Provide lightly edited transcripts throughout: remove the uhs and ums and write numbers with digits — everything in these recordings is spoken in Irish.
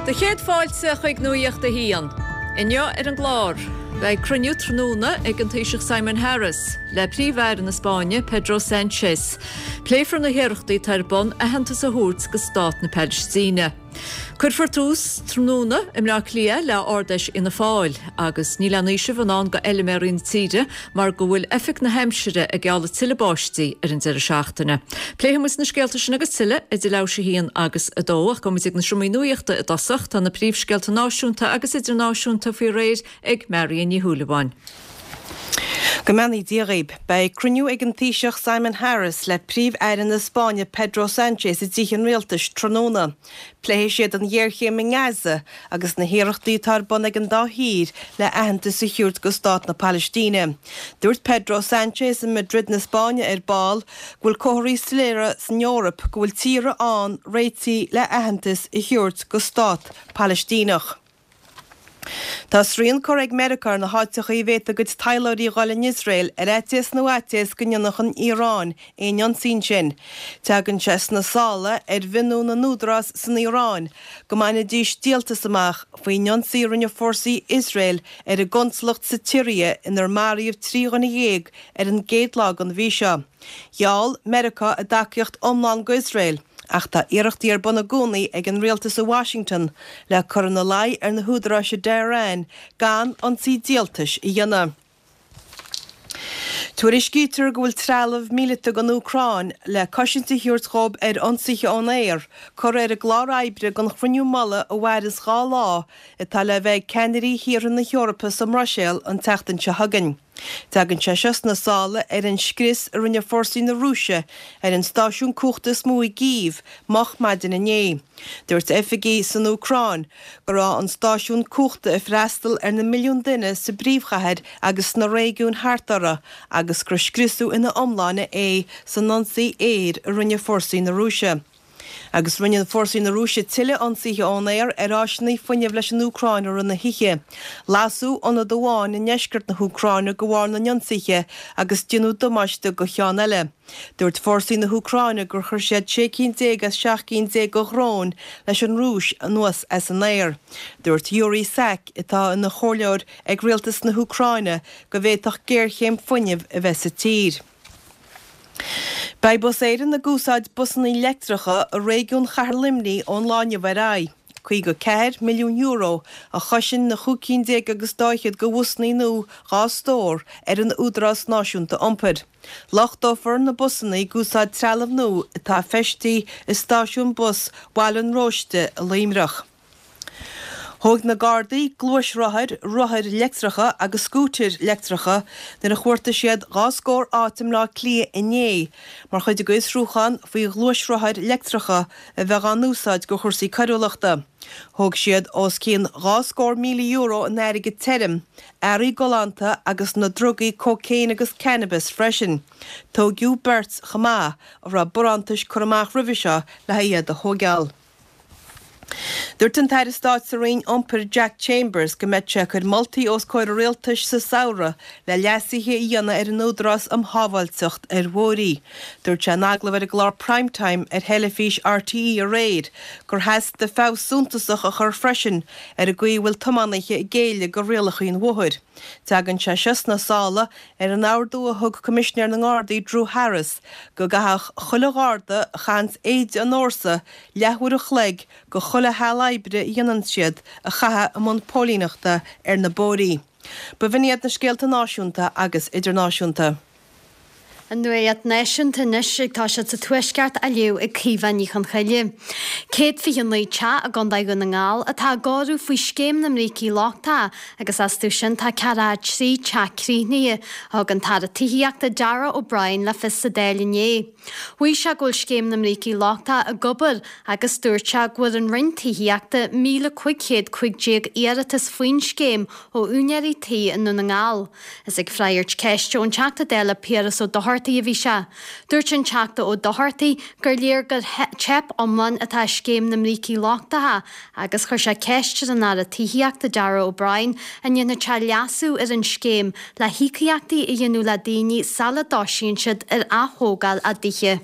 Do chéad fáilte chuig Nuacht a hAon. Inniu ar an gclár, beidh cruinniú tráthnóna ag an Taoiseach Simon Harris le Príomh-Aire na Spáinne Pedro Sanchez. Pléifear na hiarrachtaí atá ar bun aitheantas a thabhairt do Stát na Palaistíne. Cuirfear tús tráthnóna i mBleá Cliath le Ard-Fheis Fhianna Fáil agus níl aon fhaoiseamh i ndán do fheilméaraí na tíre mar go bhfuil Oifig na hAimsire ag gealladh tuilleadh báistí ar an deireadh seachtaine. Pléifidh muid na scéalta sin agus tuilleadh idir leathuair théis a haon agus a dó ach gabhfaidh muid ag na seomraí nuachta i dtosach. Tá na príomhscéalta náisiúnta agus idirnáisiúnta faoi réir ag Marion Ní Shúilleabháin. Go mbeannaí Dia dhaoib. Beidh cruinniú ag an Taoiseach Simon Harris le Príomh-Aire na Spáinne Pedro Sanchez i dTithe an Rialtais tráthnóna. Pléifidh siad an ghéarchéim i nGaza agus na hiarrachtaí atá ar bun ag an dá thír le aitheantas a thabhairt go Stát na Palaistíne. Dúirt Pedro Sanchez i Madrid na Spáinne ar ball go bhfuil comharthaí soiléire san Eoraip go bhfuil tíortha ann réitithe le aitheantas a thabhairt go Stát Palaistíneach. Tá srian curtha ag Meiriceá ar na háiteachaí a bhféadfadh a gcuid taidhleoirí a dhul in Iosrael ar fhaitíos nó fhaitíos go ndéanfadh an Iaráin aon ionsaí ansin. Tagann sé sna sála ar mhionnú na n-údarás san Iaráin go mbainfidís díoltas amach faoin ionsaí a rinne fórsaí Iosrael ar a gconsalacht sa tSiria inar maraíodh 13 dhuine ar an gcéad lá den mhí seo. Gheall Meiriceá a dtacaíocht iomlán go Iosrael. Ach tá iarrachtaí ar bun i gcónaí ag an rialtas i Washington le cur ina luí ar na húdaráis i dTehran gan ionsaí díoltais a dhéanamh. Tuairiscítear go bhfuil trealamh míleata don Úcráin le cosaint a thabhairt dhóibh ar ionsaithe ón aer curtha ar an gclár oibre don chruinniú mullaigh a mhaireanns 2 lá atá le bheith ag ceannairí thíortha na hEorpa sa mBruiséil an tseachtain seo chugainn. Tagann sé seo sna sála ar an scrios a rinne fórsaí na Rúise ar an stáisiún cumhachta is mó i gCív moch maidin inné. Dúirt oifigigh san Úcráin go raibh an stáisiún cumhachta ag freastal ar na milliúin duine sa bpríomhchathair agus sna réigiúin thart uirthi agus gur scriosadh ina iomláine é san ionsaí aeir a rinne fórsaí na Rúise. Agus rinne fórsaí na Rúise tuilleadh ionsaithe ón aer ar áiseanna fuinnimh leis an Úcráin i rith na hoíche. Lasadh ionad amháin i ndeisceart na hÚcráine de bharr na n-ionsaithe agus déanadh damáiste do cheann eile. Dúirt fórsaí na hÚcráine gur chuir siad 16 cinn as 17 cinn de dhróin leis an Rúis anuas as an aer. Dúirt Yuri Sak, atá ina chomhairleoir ag rialtas na hÚcráine, go bhféadfadh géarchéim fuinnimh a bheith sa tír. Beidh Bus Éireann ag úsáid busanna leictreacha i réigiún Chathair Luimnigh ón lá inniu ar aghaidh. €54 milliún a chosain na chúig cinn déag agus dá fhichead de bhusanna nua dhá stór ar an Údarás Náisiúnta Iompair. Luchtófar na busanna ag úsáid trealamh nua atá feistithe i stáisiún bus Bhaile an Róiste i Luimneach. Thóg na Gardaí gluaisrothair, rothair leictreacha agus scútair leictreacha nuair a chuartaigh siad dhá scór áit i mBleá Cliath inné mar chuid de fhiosrúchán faoi ghluaisrothair leictreacha a bheith á n-úsáid do chúrsaí coiriúlachta. Thóg siad os cionn €20,000 in airgead tirim, earraí galánta agus na drugaí cócaon agus cannabis freisin. Tóigeadh beirt chomh maith a raibh barántais curtha amach roimhe seo le haghaidh iad a thóigeáil. Dúirt an tAire Stáit sa Roinn Iompair Jack Chambers go mbeidh sé ag cur moltaí os comhair an Rialtais sa samhradh le leasuithe a dhéanamh ar an Údarás um Shábháilteacht ar Bhóithre. Dúirt sé in agallamh ar an gclár Prime Time ar theilifís RTÉ aréir gur theastaigh feabhas suntasach a chur freisin ar an gcaoi a bhfuil tiománaithe ag géilleadh do rialacha an bhóthair. Tagann sé seo sna sála ar an ordú a thug Coimisinéir na nGardaí Drew Harris go gcaithfeadh chuile Gharda a chaitheanns éide an fhórsa leathuair a chloig de chuile sheal oibre a dhéanann siad a chaitheamh i mbun póilíneachta ar na bóithrí. B'in iad na scéalta náisiúnta agus idirnáisiúnta. An Nuacht Náisiúnta anois ag toiseacht sa Tuaisceart á léamh ag Caoimhe Ní Chonchoille. 129 teach i gContae Dhún na nGall atá á gcóiriú faoi Scéim na mBrící Lochtacha agus astu sin tá 43 teach críochnaithe, a thug an tAire Tithíochta Darragh O'Brien le fios sa Dáil inné. Mhaígh sé go bhfuil Scéim na mBrící Lochtacha ag obair agus dúirt sé go bhfuair an Roinn Tithíochta 1,515 iarratas faoin scéim ó úinéirí tí i nDún na nGall. Is ag freagairt ceiste ón Teachta Dála Piaras Ó Dochartaigh a bhí sé. Dúirt an Teachta Ó Dochartaigh gur léir gur teip iomlán atá i scéim na mbrící lochtacha agus chuir sé ceist ar an Aire Tithíochta Darragh O'Brien an ndéanfadh sé leasú ar an scéim le híocaíochtaí a dhéanamh le daoine sula dtoisíonn siad ar ath-thógáil a dtithe.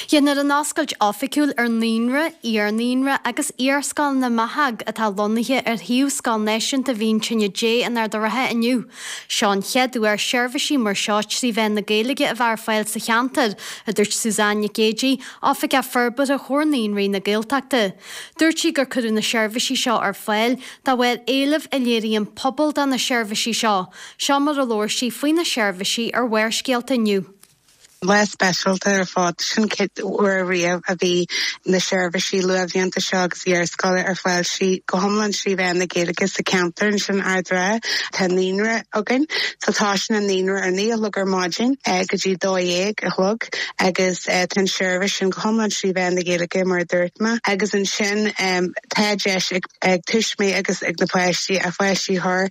Déanfar an oscailt oifigiúil ar Naíonra, Iar-Naíonra agus Iarscoil na mBeathach atá lonnaithe ar shuíomh Scoil Náisiúnta Mhín Tine Dé in Ard a' Rátha inniu. Seo an chéad uair seirbhísí mar seo trí mheán na Gaeilge a bheith ar fáil sa cheantar, a dúirt Suzanne Nic Géidigh, Oifigeach Forbartha Chomhar Naíonraí na Gaeltachta. Dúirt sí gur cuireadh na seirbhísí seo ar fáil de bharr éilimh a léirigh an pobal do na seirbhísí seo. Seo mar a labhair sí faoi na seirbhísí ar Bharrscéalta inniu. Lá speisialta ar fad. Sin chéad uair riamh a bhí na seirbhísí luathbhlianta seo agus iarscoile ar fáil sí go hiomlán trí mheán na Gaeilge sa cheantar ansin Ard Ráth. Tá naíonra againn. So tosaíonn an naíonra ar 9 a chlog ar maidin go dtí 12 a chlog agus tá an seirbhís sin go hiomlán trí mheán na Gaeilge mar a dúirt mé. Agus ansin tá deis ag tuismitheoirí agus ag na páistí a pháistí a chur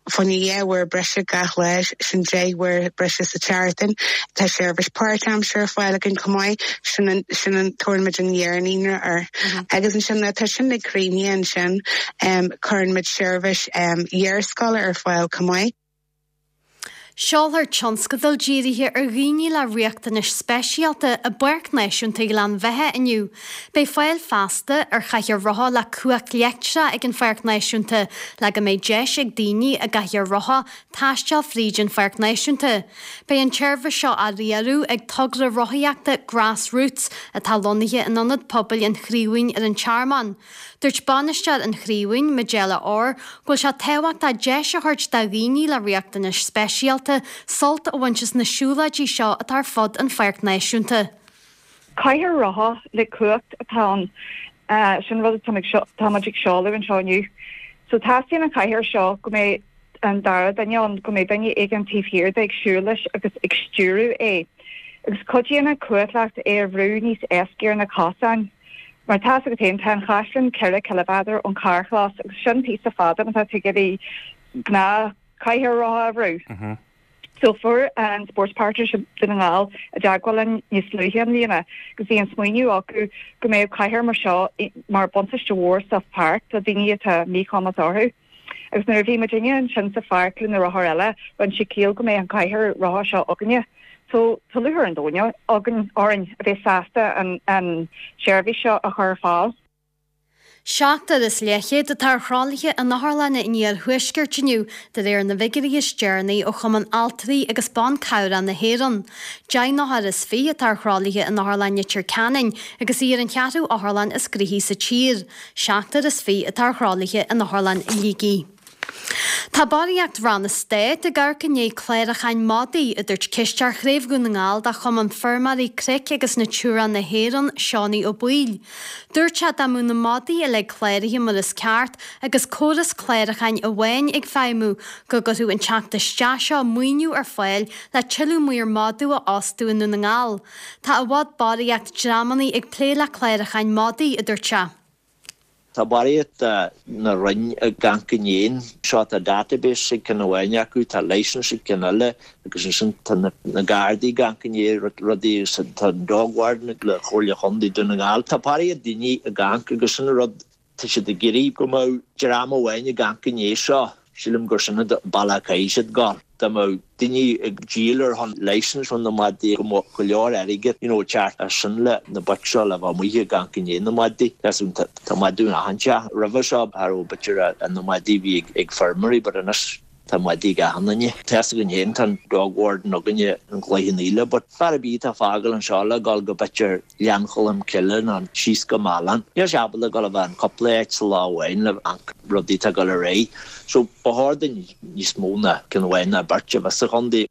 Fá choinne dhá uair breise gach lá, sin 10 uair breise sa tseachtain. Tá seirbhís páirtaimseartha ar fáil againn chomh maith, sin an, sin an, tabharann muid an iar-naíonra air. Agus ansin nuair atá sin ag críochnaithe ansin, cuireann muid seirbhís iarscoile ar fáil chomh maith. Seolfar tionscadal dírithe ar dhaoine le riachtanais speisialta i bPáirc Náisiúnta Ghleann Bheatha inniu. Beidh fáil feasta ar chathaoir rotha le cumhacht leictreach ag an Pháirc Náisiúnta le go mbeidh deis ag daoine i gcathaoir rotha taisteal fríd an Pháirc Náisiúnta. Beidh an tseirbhís seo á riaradh ag togra rothaíochta Grass Roots atá lonnaithe in Ionad Pobail an Chraobhaoin ar an Tearmann. Dúirt bainisteoir an Chraobhaoin, Majella Orr, go bhfuil sé tábhachtach deis a thabhairt do dhaoine le riachtanais speisialta sult a bhaint as na siúlóidí seo atá ar fud an Pháirc Náisiúnta. Cathaoir rotha le cumhacht atá ann. Sin rud atáimid ag seoladh anseo inniu. So teastaíonn an chathaoir seo go mbeidh an dara duine ann, go mbeidh duine éigin taobh thiar de ag siúl leis agus ag stiúradh é. Agus cuidíonn an chumhacht leat é a bhrú níos éascaí ar na cosáin. Mar tá 'fhios agat féin, tá an Chaisleán 4 ciliméadar ón carrchlós agus sin píosa fada má tá tú ag iarraidh gnáth chathaoir rotha a bhrú. So fuair an Sports Partnership Dún na nGall i dteagmháil linn níos luaithe i mbliana agus bhí an smaoineamh acu go mbeadh cathaoir mar seo mar buntáiste mhór sa pháirc do daoine atá míchumas orthu. Agus nuair a bhí muidinne ansin sa pháirc le na rothair eile, rinne sé ciall go mbeadh an cathaoir rotha seo againne. So tá lúcháir an domhain againn orainn a bheith sásta an an seirbhís seo a chur ar fáil. Seachtar is leathchéad atá ar thralaithe in otharlanna an iarthuaiscirt inniu, de réir na bhfigiúirí is deireanaí ó Chumann Altraí agus Ban Cabhrach na hÉireann. 10 n-othar is 20 atá ar thralaithe in Otharlann Leitir Ceanainn agus í ar an cheathrú otharlann is gnoithí sa tír. Seachtar is 20 atá ar thralaithe in Otharlann Shligigh. Tá barraíocht Ranna Stáit ag amharc i ndiaidh cláracháin madaí, a dúirt Cisteoir Chraobh Dhún na nGall de Chumann Feirmeoirí Cnoic agus Natura na hÉireann, Seánie Ó Baoill. Dúirt sé dá mbeadh na madaí uilig cláraithe mar is ceart agus córas cláracháin amháin ag feidhmiú, go gcuirfeadh an teacht isteach seo maoiniú ar fáil le tuilleadh maor madadh a fhostú i nDún na nGall. Tá i bhfad barraíocht dreamannaí ag plé le cláracháin madaí, a dúirt sé. Tá barraíocht de na roinn ag amharc i ndiaidh seo, tá database ag ceann amháin acu, tá licence ag ceann eile agus ansin tá na Gardaí ag amharc i ndiaidh rudaí agus tá an dog warden le Comhairle Chontae Dún na nGall. Tá barraíocht daoine ag amharc agus sin an rud, tá siad ag iarraidh go mbeadh dream amháin ag amharc i ndiaidh seo. Sílim gur sin an bealach a chaithfidh siad gabháil. Dá mbeadh daoine ag díol ar shon licence chun na madaí go mbeadh go leor airgead you know ag teacht as sin le na boic seo le bheith amuigh ag amharc i ndiaidh na madaí. Tá tá madadh in achan teach. Roimhe seo cha raibh b'fhéidir na madaí bhí ag ag feirmeoirí but anois tá madaí ag achan duine. Tá 'fhios againn féin tá an dog warden againne in Cloich Cheann Fhaola but fear ar bith atá ag fágáil anseo le gabháil go b'fhéidir Gleann Cholm Cille nó síos go Mealláin. Níl sé ábalta dul a bheith in cúpla áit sa lá amháin le amharc rudaí atá ag dul ar aghaidh. So ba chóir duinn níos mó ná ceann amháin ná beirt a bheith sa chontae.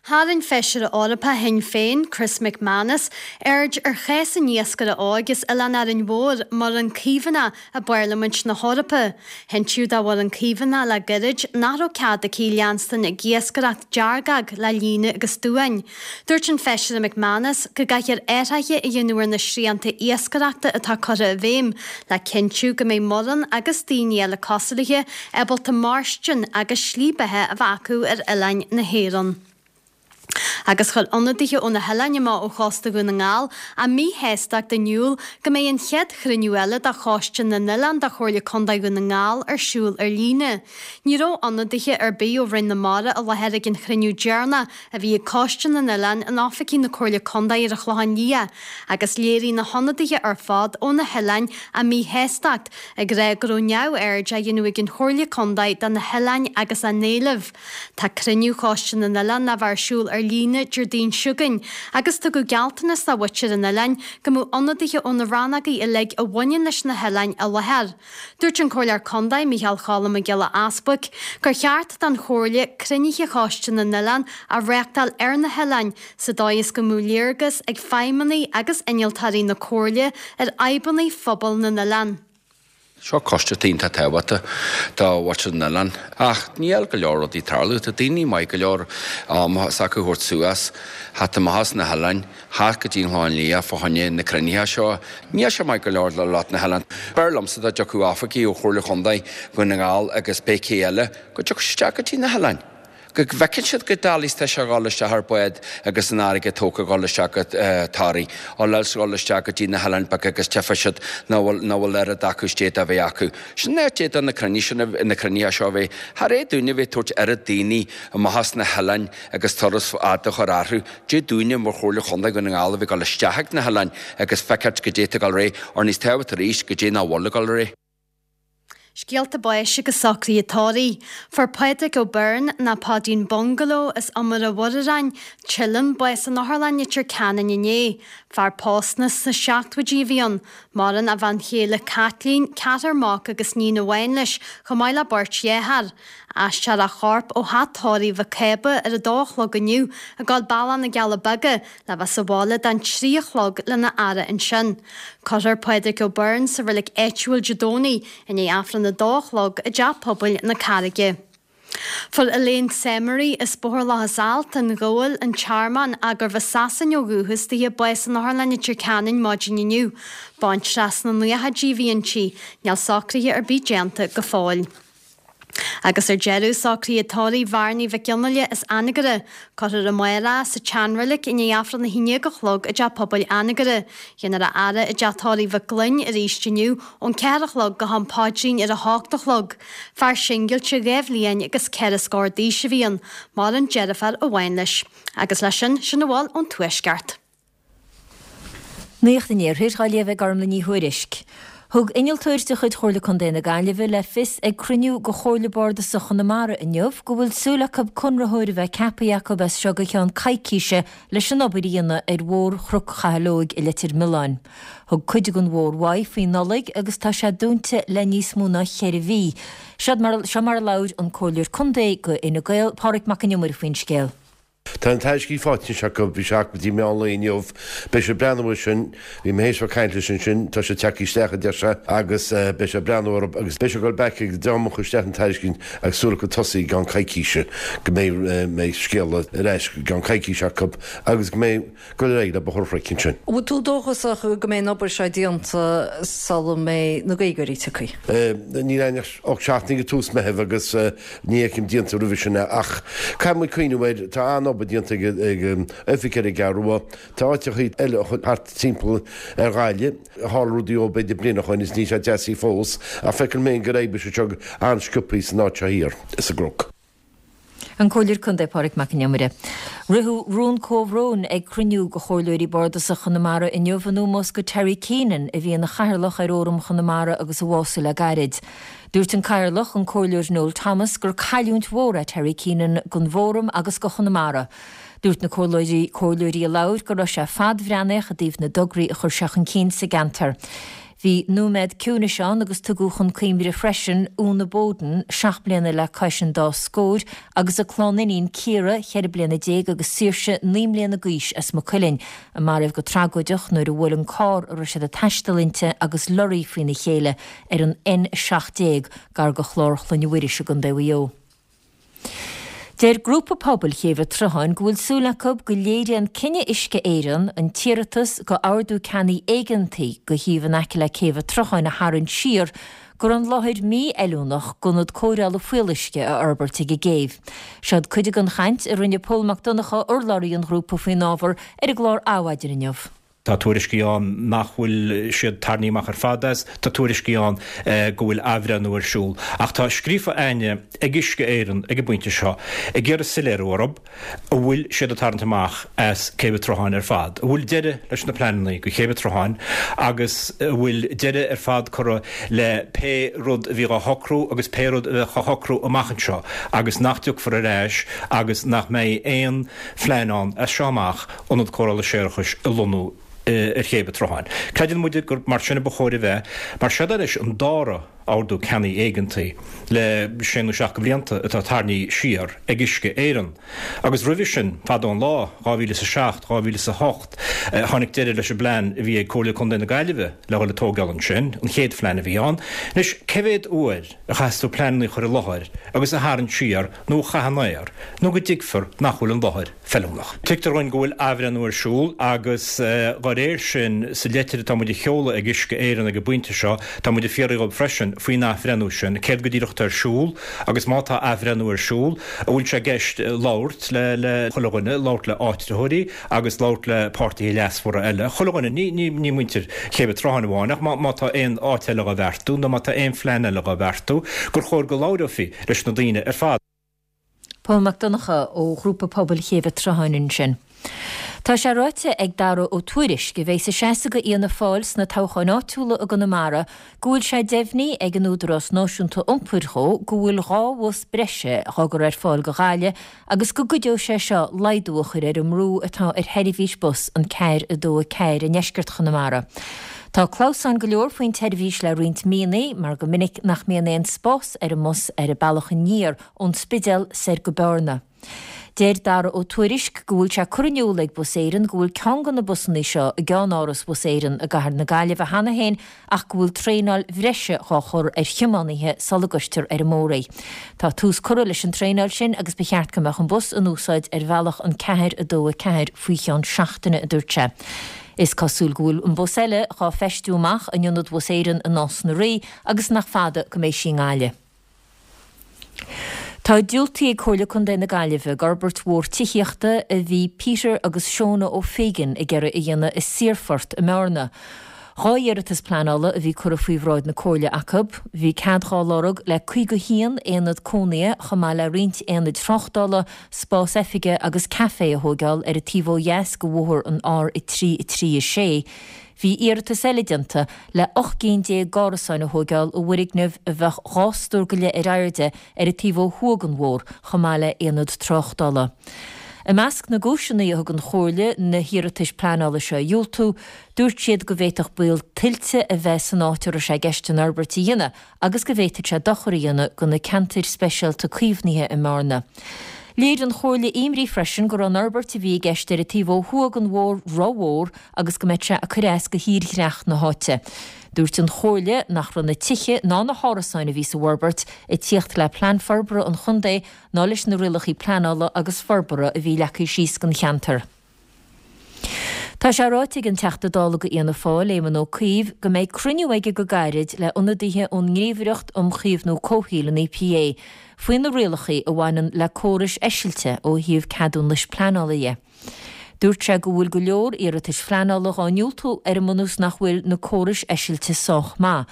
Tharraing Feisire Eorpach Shinn Féin, Chris McManus, aird ar chás an iascaire óig as Oileán Árainn Mhór, Muireann Caomhánach, i bParlaimint na hEorpa. Hintíodh do Mhuireann Caomhánach le gairid nach raibh cead aici leanstan ag iascaireacht deargóg le líne agus duáin. Dúirt an Feisire McManus go gcaithfear athruithe a dhéanamh ar na srianta iascaireachta atá curtha i bhfeidhm le cinntiú go mbeidh Muireann agus daoine eile cosúil léi ábalta mairstin agus slí beatha a bheith acu ar oileáin na hÉireann. Agus chuir ionadaithe ó na hoileáin amach ó chósta Dhún na nGall a míshástacht in iúl go mbeidh an chéad chruinniú eile de Choiste na nOileán de Chomhairle Contae Dhún na nGall ar siúl ar líne. Ní raibh ionadaithe ar bith ó Roinn na Mara i láthair ag an chruinniú deireanach a bhí ag Coiste na nOileán in oifigí na Comhairle Contae ar an Chlochán Liath agus léirigh na hionadaithe ar fad ó na hoileáin a míshástacht ag rá go raibh neamhaird á dhéanamh ag an Chomhairle Contae de na hoileáin agus a n-éilimh. Tá cruinniú Choiste na nOileán le bheith ar siúl ar líne Déardaoin seo chugainn agus tugadh gealltanas do mhuintir an oileáin go mbeadh ionadaithe ó na rannógaí uilig a bhaineann leis na hoileáin i láthair. Dúirt an Comhairleoir Contae, Micheál Cholm Mac Giolla Easbuic, gur cheart don Chomhairle cruinnithe Choiste na nOileán a reáchtáil ar na hoileáin sa dóigh is go mbeadh léargas ag feidhmeannaigh agus innealtóirí na Comhairle ar fhadhbanna phobal na n-oileán. Seo coiste atá iontach tábhachtach do mhuintir na n-oileán. Ach níl go leor rudaí ag tarlú. Tá daoine maith go leor am s'acu a thabhairt suas, theacht amach as na hoileáin, theacht go dtí an Chlochán Liath fá choinne na cruinnithe seo. Níl sé maith go leor le lucht na hoileán. B'fhearr liomsa dá dtiocfadh oifigigh ó Chomhairle Chontae Dhún na nGall agus pé cé eile go dtiocfadh siad isteach go dtí na hoileáin. go bhfeiceann siad goidé is tá sé a dhul isteach ar bád agus an airgead tógtha a dhul isteach go Toraigh, ó leis dhul isteach go dtí na hoileáin beaga agus tchífidh siad nach bhfuil, nach bhfuil oiread acu istigh dá bheith acu. Sin an áit d'fhéadfadh na cruinnithe sin, na cruinnithe seo a bheith. Char fhéad dúinne a bheith ag tabhairt oiread daoine amach as na hoileáin agus turas fada a chur orthu. D'fhéadfadh dúinne mar Chomhairle Chontae Dhún na nGall a bheith ag dul isteach ag na hoileáin agus feiceáilt goidé atá ag dul ar aghaidh, or níos tábhachtaí arís, goidé nach bhfuil ag dul ar aghaidh. Scéalta báis agus socruithe tórraimh. Fuair Pádraig Ó Beirn, nó Páidín Bungaló, as Iomaire Mhuirearáin, Teileann, bás in Otharlann Leitir Ceanainn inné. Fear pósta sna seachtóidí a bhí ann. Maireann a bhean chéile Caitlín, ceathrar mac agus níon amháin leis, chomh maith le beirt dhearthár. Aistreofar a chorp ó theach tórraimh Mhic Cába ar a dó a chlog inniu, ag dul bealach na gCealla Beaga, le bheith sa bhaile don 3 a chlog lena fhaire ansin. Cuirfear Pádraig Ó Beirn sa reilig áitiúil Dé Domhnaigh i ndiaidh Aifreann a dó a chlog i dTeach Pobail na Carraige. Fuair Elaine Semery as Bóthar Locha Salt, an Ghabhal, an Tearmann, ach gurbh as Sasain ó dhúchas dithe, bás in Otharlann Leitir Ceanainn maidin inniu. Baintreach sna naochaidí a bhí inti. Níl socruithe ar bith déanta go fóill. Agus ar deireadh, socruithe tórraimh Bhearnaí Mhic Fhionnghaile as Anagaire. Cuirfear amárach sa tseanreilig i ndiaidh Aifreann 11 a chlog i dTeach Pobail Anagaire. Déanfar a fhaire i dTeach Tórraimh Mhic Gloinn arís inniu ón 4 a chlog go ham paidrín ar a hocht a chlog. Fear singilte 2 bhliain agus 4 scór d'aois a bhí ann. Maireann deirfiúr amháin leis. Agus leis sin, sin a bhfuil ón Tuaisceart. Nuacht an Iarthair á léamh ag Gormlaith Ní Thuairisg. Thug innealtóir de chuid Chomhairle Contae na Gaillimhe le fios ag cruinniú de Chomhairle Bardasach Chonamara inniu go bhfuil súil acu conraitheoir a bheith ceaptha acu as seo go ceann coicíse leis an obair a dhéanamh ar Mhórchnoc Chathail Óig i Leitir Mealláin. Thug cuid den mhórmhaigh faoi Nollaig agus tá sé dúnta le níos mó ná cheithre mhí. Seo mar a labhair an Comhairleoir Contae do Fhine Gael, Pádraig Mac An Iomaire faoin scéal. Tá an tairiscint faighte anois acu, bhí sé acu go dtí meán lae inniu. Beidh sé ag breathnú air sin, bhí mé théis bheith ag caint leis ansin, tá sé tagtha isteach a deir sé agus beidh sé ag breathnú orthu agus beidh sé ag dul back ag an dream a chuir isteach an tairiscint agus súil acu tosaí i gceann coicíse, go mbeidh mbeidh scéala ar ais i gceann coicíse acu agus go mbeidh dul ar aghaidh le Bóthar an Chnoic ansin. An bhfuil tú dóchasach go mbeidh an obair seo déanta sula mbeidh na Gaeilgeoirí tioctha? Níl ann ach seachtain go tús Meitheamh agus ní fheicim déanta roimhe sin é ach caithfidh muid cuimhneamh air, tá an-obair déanta ag oifig ar an gCeathrú Rua, tá áiteachaí eile thart timpeall ar Ghaillimh, tharla rudaí ó b'fhéidir bliain ó shoin is níl sé deasaithe fós ach feicim féin gur oibrigh sé seo an-sciobthaí san áit seo thiar sa gCnoc. An Comhairleoir Contae Pádraig Mac An Iomaire. Ritheadh rún comhbhróin ag cruinniú de Chomhairleoirí Bardasacha Chonamara inniu in ómós do Terry Keenan a bhí ina chathaoirleach ar Fhóram Chonamara agus a bhásaigh le gairid. Dúirt an Cathaoirleach, an Comhairleoir Noel Thomas, gur cailliúint mhór é Terry Keenan don bhFóram agus do Chonamara. Dúirt na comhairleoirí comhairleoirí a labhair go raibh sé fadbhreathnaíoch i dtaobh na dtograí a chuir sé chun cinn sa gceantar. Bhí nóiméad ciúnais ann agus tugadh chun cuimhne freisin Úna Bowden, 7 mbliana le cois an dá scóir, agus a clann iníon Ciara, 14 bliana agus Saoirse, 9 mbliana d'aois as Maigh Cuilinn, a maraíodh go tragóideach nuair a bhuail an carr a raibh siad ag taisteal inti agus lorraí faoina chéile ar an N17 gar do Chlár Chloinne Mhuiris i gContae Mhaigh Eo. Deir grúpa pobail Chéibh an tSrutháin go bhfuil súil acu go léiríonn cinneadh Uisce Éireann an t-iarratas go ordú ceannaigh éigeantaigh go shuíomh in aice le Céibh an tSrutháin a tharraingt siar. go raibh an láthair mífheiliúnach d'ionad cóireála fuíolluisce a fhorbairt ag an gcéibh. Seod cuid den chaint a rinne Pól Mac Donncha, urlabhraí an ghrúpa faoin ábhar, ar an gclár Adhmhaidin inniu. Tá tuairiscí ann nach bhfuil siad tarraingthe amach ar fad as, tá tuairiscí ann go bhfuil athbhreithniú ar siúl. Ach tá scríofa a'inne ag Uisce Éireann ag an bpointe seo ag iarraidh soiléiriú orthu an bhfuil siad ag tarraingt amach as Céibh an tSrutháin ar fad, an bhfuil deireadh leis na pleananna go Céibh an tSrutháin agus an bhfuil deireadh ar fad curtha le pé rud a bhí dhá shocrú agus pé rud a bheadh á shocrú amach anseo agus nach dtiocfar ar ais agus nach mbeidh aon phlean ann as seo amach ionad cóireála séarachais a lonnú ar Chéibh an tSrutháin. Creideann muide gur mar sin a ba chóir a bheith, mar seod é anois an dara ordú ceannaigh éigeantaigh le sé nó seacht de bhlianta atá tarraingthe siar ag Uisce Éireann. Agus roimhe sin, fadó an lá, 2007, 2008, tháinig deireadh leis an bplean a bhí ag Comhairle Contae na Gaillimhe le dhul ag tógáil ansin, an chéad phlean a bhí ann. Anois, cé mhéad uair a chaithfeas tú pleananna a chur i láthair agus a tharraingt siar nó a chaith in aer nó go dtuigfear nach bhfuil an láthair feiliúnach. Tuigtear dhúinn go bhfuil athbhreithniú ar siúl agus dá réir sin, sa leitir atá muid a sheoladh ag Uisce Éireann ag an bpointe seo, tá muid ag fiafraí dhóibh freisin faoin athbhreithniú sin, céard go díreach atá ar siúl agus má tá athbhreithniú ar siúl, an bhfuil sé i gceist labhairt le le chuile dhuine, labhairt le áitritheoirí agus labhairt le páirtithe leasmhara eile, chuile dhuine, ní ní ní muintir Chéibh an tSrutháin amháin ach má má tá aon áit eile dhá bheartú nó má tá aon phlean eile dhá bheartú, gur chóir go labhrófaí leis na daoine ar fad. Pól Mac Donncha ó Ghrúpa Pobail Chéibh an tSrutháin ansin. Tá sé ráite ag Daragh Ó Tuairisg, a bheas ag seasamh do Fhianna Fáil sna toghcháin áitiúla i gConamara, go bhfuil sé deimhnithe ag an Údarás Náisiúnta Iompair dhó go bhfuil 2 bhus breise dhá gcur ar fáil do Ghaillimh agus go gcuideoidh sé seo laghdú a chur ar an mbrú atá ar sheirbhís bus an 4 2 4 i ndeisceart Chonamara. Tá clamhsáin go leor faoin tseirbhís le roinnt míonna mar go minic nach mbíonn aon spás ar an mbus ar an bealach aniar ón Spidéal soir go Bearna. Deir Daragh Ó Tuairisg go bhfuil sé curtha in iúl ag Bus Éireann go bhfuil ceann de na busanna seo i gceannáras Bhus Éireann i gcathair na Gaillimhe cheana féin ach go bhfuil traenáil bhreise dhá chur ar thiománaithe sula gcuirtear ar an mbóthar é. Tá tús curtha leis an traenáil sin agus ba cheart go mbeadh an bus in úsáid ar bhealach an 4 2 4 faoi cheann seachtaine, a dúirt sé. Is cosúil go bhfuil an bus eile dhá feistiú amach in ionad Bhus Éireann i Nás na Rí agus nach fada go mbeidh sí i nGaillimh. Tá diúltaithe ag Comhairle Contae na Gaillimhe d'fhorbairt mhór tithíochta a bhí Peter agus Shona O'Fagan ag iarraidh a dhéanamh i Saorphort i mBearna. 2 iarratas pleanála a bhí curtha faoi bhráid na Comhairle acu. Bhí cead dhá lorg le 51 aonad cónaithe chomh maith le roinnt aonaid tráchtála, spás oifige agus caife a thóigeáil ar an taobh ó dheas de bhóthar an R3 3 6. Bhí iarratas eile déanta le 18 gcinn d'árasáin a thóigeáil i bhfoirgneamh a bheadh 2 stór go leith ar airde ar an taobh ó thuaidh den bhóthar chomh maith le aonad tráchtála. I measc na gcúiseanna a thug an Chomhairle na hiarratais pleanála seo a dhiúltú, dúirt siad go bhféadfadh baol tuilte a bheith san áit a raibh sé i gceist an fhorbairt a dhéanamh agus go bhféadfadh sé dochar a dhéanamh do na ceantair speisialta caomhnaithe i mBearna. Léirigh an Chomhairle imní freisin go raibh an fhorbairt a bhí i gceist ar an taobh ó thuaidh den bhóthar rómhór agus go mbeadh sé ag cur as do thírdhreach na háite. Dúirt an Chomhairle nach raibh na tithe ná na hárasáin a bhí sa bhforbairt ag tíocht le Plean Forbartha an Chontae ná leis na rialacha pleanála agus forbartha a bhí leagtha síos don cheantar. Tá sé ráite ag an Teachta Dála do Fhianna Fáil, Éamon Ó Cuív, go mbeidh cruinniú aige go gairid le ionadaithe ón nGníomhaireacht um Chaomhnú Comhshaoil, an EPA, faoi na rialacha a bhaineann le córais eisilte ó thaobh ceadúnais pleanála dhe. Dúirt sé go bhfuil go leor iarratais phleanála dhá ndiúltú ar an mbunús nach bhfuil na córais eisilte sách maith.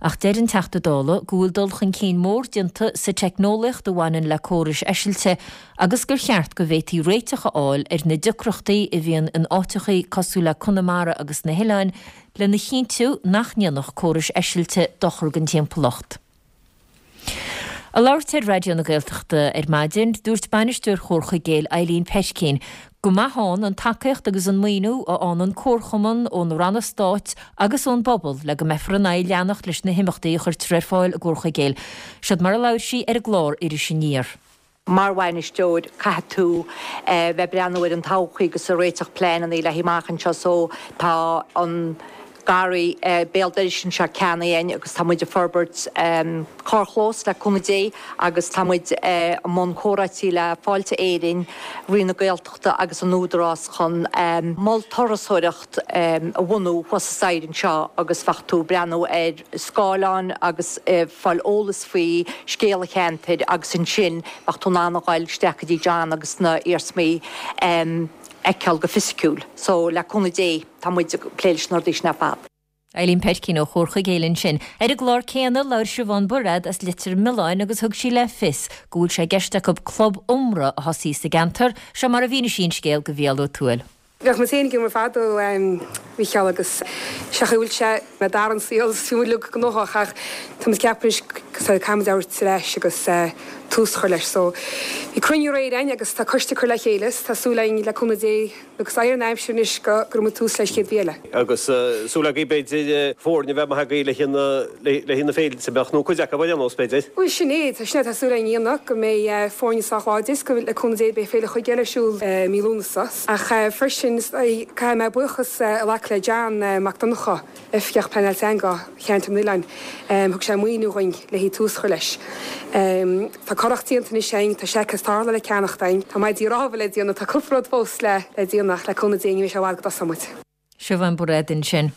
Ach deir an Teachta Dála go bhfuil dul chun cinn mór déanta sa teicneolaíocht a bhaineann le córais eisilte agus gur cheart go bhféadfaí réiteach a fháil ar na deacrachtaí a bhíonn in áiteachaí cosúil le Conamara agus na hoileáin lena chinntiú nach ndéanfadh córais eisilte dochar don timpeallacht. Ag labhairt ar Raidió na Gaeltachta ar maidin, dúirt Bainisteoir Chomhar Chuigéil, Eileen Petkine, go maith ann an tacaíocht agus an maoiniú a fhaigheann an comharchumann ó na ranna stáit agus ón bpobal le go mbeifear in ann leanacht leis na himeachtaí a chuirtear ar fáil i gComhar Chuigéil. Seod mar a labhair sí ar an gclár Iris Aniar. Mar bhainisteoir, caithfidh tú bheith ag breathnú ar an todhchaí agus ag réiteach pleananna le haghaidh amach anseo so tá an. Garraí béal dorais anseo cheana féin agus tá muid ag forbairt carrchlós le cúnamh Dé agus tá muid i mbun comhráití le Fáilte Éireann, Roinn na Gaeltachta agus an Údarás chun mol turasóireacht a bhunú thuas sa staighre anseo agus bheadh tú ag breathnú ar scáileáin agus ag fáil eolas faoi scéal an cheantair agus ansin bheadh tú in ann a ghoil isteach go dtí John agus na iarsmaí a fheiceáil go fisiciúil. So le cúnamh Dé tá muid ag plé leis na rudaí sin ar fad. Eileen Peircín ó Chomhar Chuigéil ansin. Ar an gclár céanna, labhair Siobhán Bairéad as Leitir Mealláin agus thug sí le fios go bhfuil sé i gceist acu club iomra a thosaí sa gceantar. Seo mar a mhínigh sí an scéal do Mhícheál Ó Tuathail. Bheadh muid féin ag iomra fadó, a Mhícheáil, agus sé an chaoi a bhfuil sé d'athraigh an saol is bhí muid uilig gnóthach ach tá muid ag ceapadh anois caithfidh muid amharc ar ais agus tús a chur leis. So bhí cruinniú aréir againn agus tá coiste curtha le chéile is tá súil againn le cúnamh Dé Agus éireoidh an aimsir anois go gcuirfidh muid tús leis chéad mhí eile. Agus súil agaibh b'fhéidir foirne a bheith maith agaibh le haghaidh na féilte, beadh, nó cuid acu ar aon nós b'fhéidir. Bhuel sin é, tá sin é atá súil againn a dhéanamh, go mbeidh foirne sách láidir is go, le cúnamh Dé, beidh Féile Chuigéil ar siúl i mí Lúnasa. Ach freisin, caithfidh mé buíochas a ghlacadh le John Mac Donncha, Oifigeach Pleanáil Teanga Cheantar na nOileán. Thug sé maoiniú dhuinn le haghaidh tús a chur leis. Tá curach déanta anois againn, tá seaicéid tarrthála le ceannacht againn, tá maidí rámha le déanamh, tá cúpla rud fós le déanamh ach le cúnamh Dé ní bheidh sé i bhfad go dtosóidh muid. Siobhán Bairéad ansin.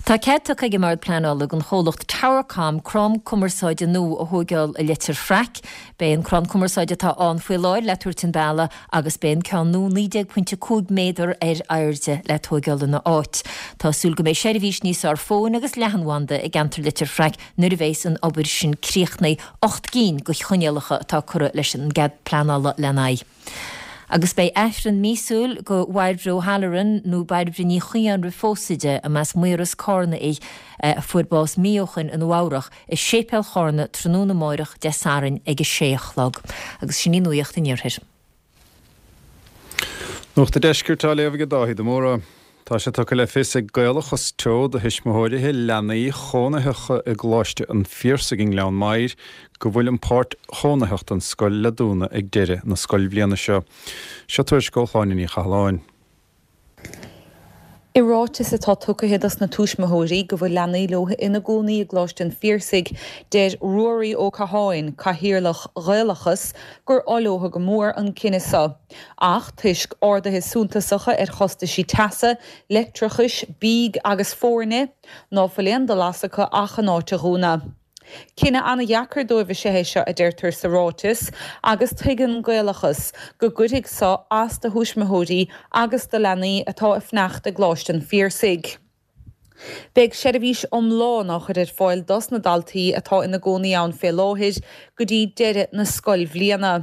Tá cead tugtha ag an mBord Pleanála don chomhlacht Towercom crann cumarsáide nua a thóigeáil i Leitir Fraic. Beidh an crann cumarsáide atá ann faoi láthair le tabhairt an bealaigh agus beidh an ceann nua 19.5 méadar ar airde le tóigeáil ina áit. Tá súil go mbeidh seirbhís níos fearr fóin agus leathanbhanda i gceantar Leitir Fraic nuair a bheas an obair sin críochnaithe. 8 gcinn de choinníollacha atá curtha leis an gcead pleanála lena aghaidh. Agus beidh Aifreann míosúil do Bhairbre O'Halloran, nó Bairbre Ní Chaodháin roimh phósadh di, a mb'as Maoras Cárna í, a fuair bás mí ó shoin i Nua Eabhrach, i Séipéal Chárna tráthnóna amáireach Dé Sathairn ag a sé a chlog. Agus sin í Nuacht an Iarthair. Nuacht an Deiscirt á léamh ag Dáithí de Mórdha. Tá sé tugtha le fios ag Gaelachas Teo do thuismitheoirithe leanaí chónaitheacha i gColáiste an Phiarsaigh i nGleann Maghair go bhfuil an pháirt chónaitheach den scoil le dúnadh ag deireadh na scoilbhliana seo. Seo tuairisc ó Shláine Ní Chathalláin. I ráiteas atá tugtha dos na tuismitheoirí go bhfuil leanaí leo ina gcónaí i gColáiste an Phiarsaigh, deir Ruairí Ó Catháin, Cathaoirleach Ghaelachas, gur oth leo go mór an cinneadh seo. Ach toisc arduithe suntasacha ar chostaisí teasa, leictreachais, bídh agus foirne, ná fuil aon dul as acu ach an áit a dhúnadh. Cinneadh an-dheacair dóibh is ea é seo, a deirtear sa ráiteas, agus tuigeann Gaelachas go gcuirfidh so as do thuismitheoirí agus do leanaí atá ag fanacht i gColáiste an Phiarsaigh. Beidh seirbhís iomlán á chur ar fáil dos na daltaí atá ina gcónaí ann fé láthair go dtí deireadh na scoilbhliana.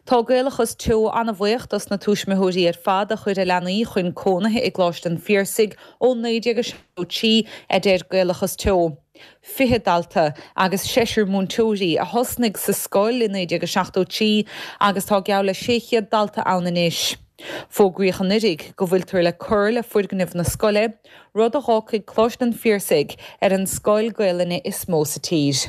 Tá Gaelachas Teo an-bhuíoch dos na tuismitheoirí ar fad a chuir a leanaí chun cónaithe i gColáiste an Phiarsaigh ó 1973, a deir Gaelachas Teo. 20 dalta agus seisear múinteoirí a thosnaigh sa scoil i 1973 agus tá geall le 600 dalta ann anois. Fógraíodh anuiridh go bhfuiltear le cur le foirgneamh na scoile, rud a dh'fhágfaidh Coláiste an Phiarsaigh ar an scoil Gaelainne is mó sa tír.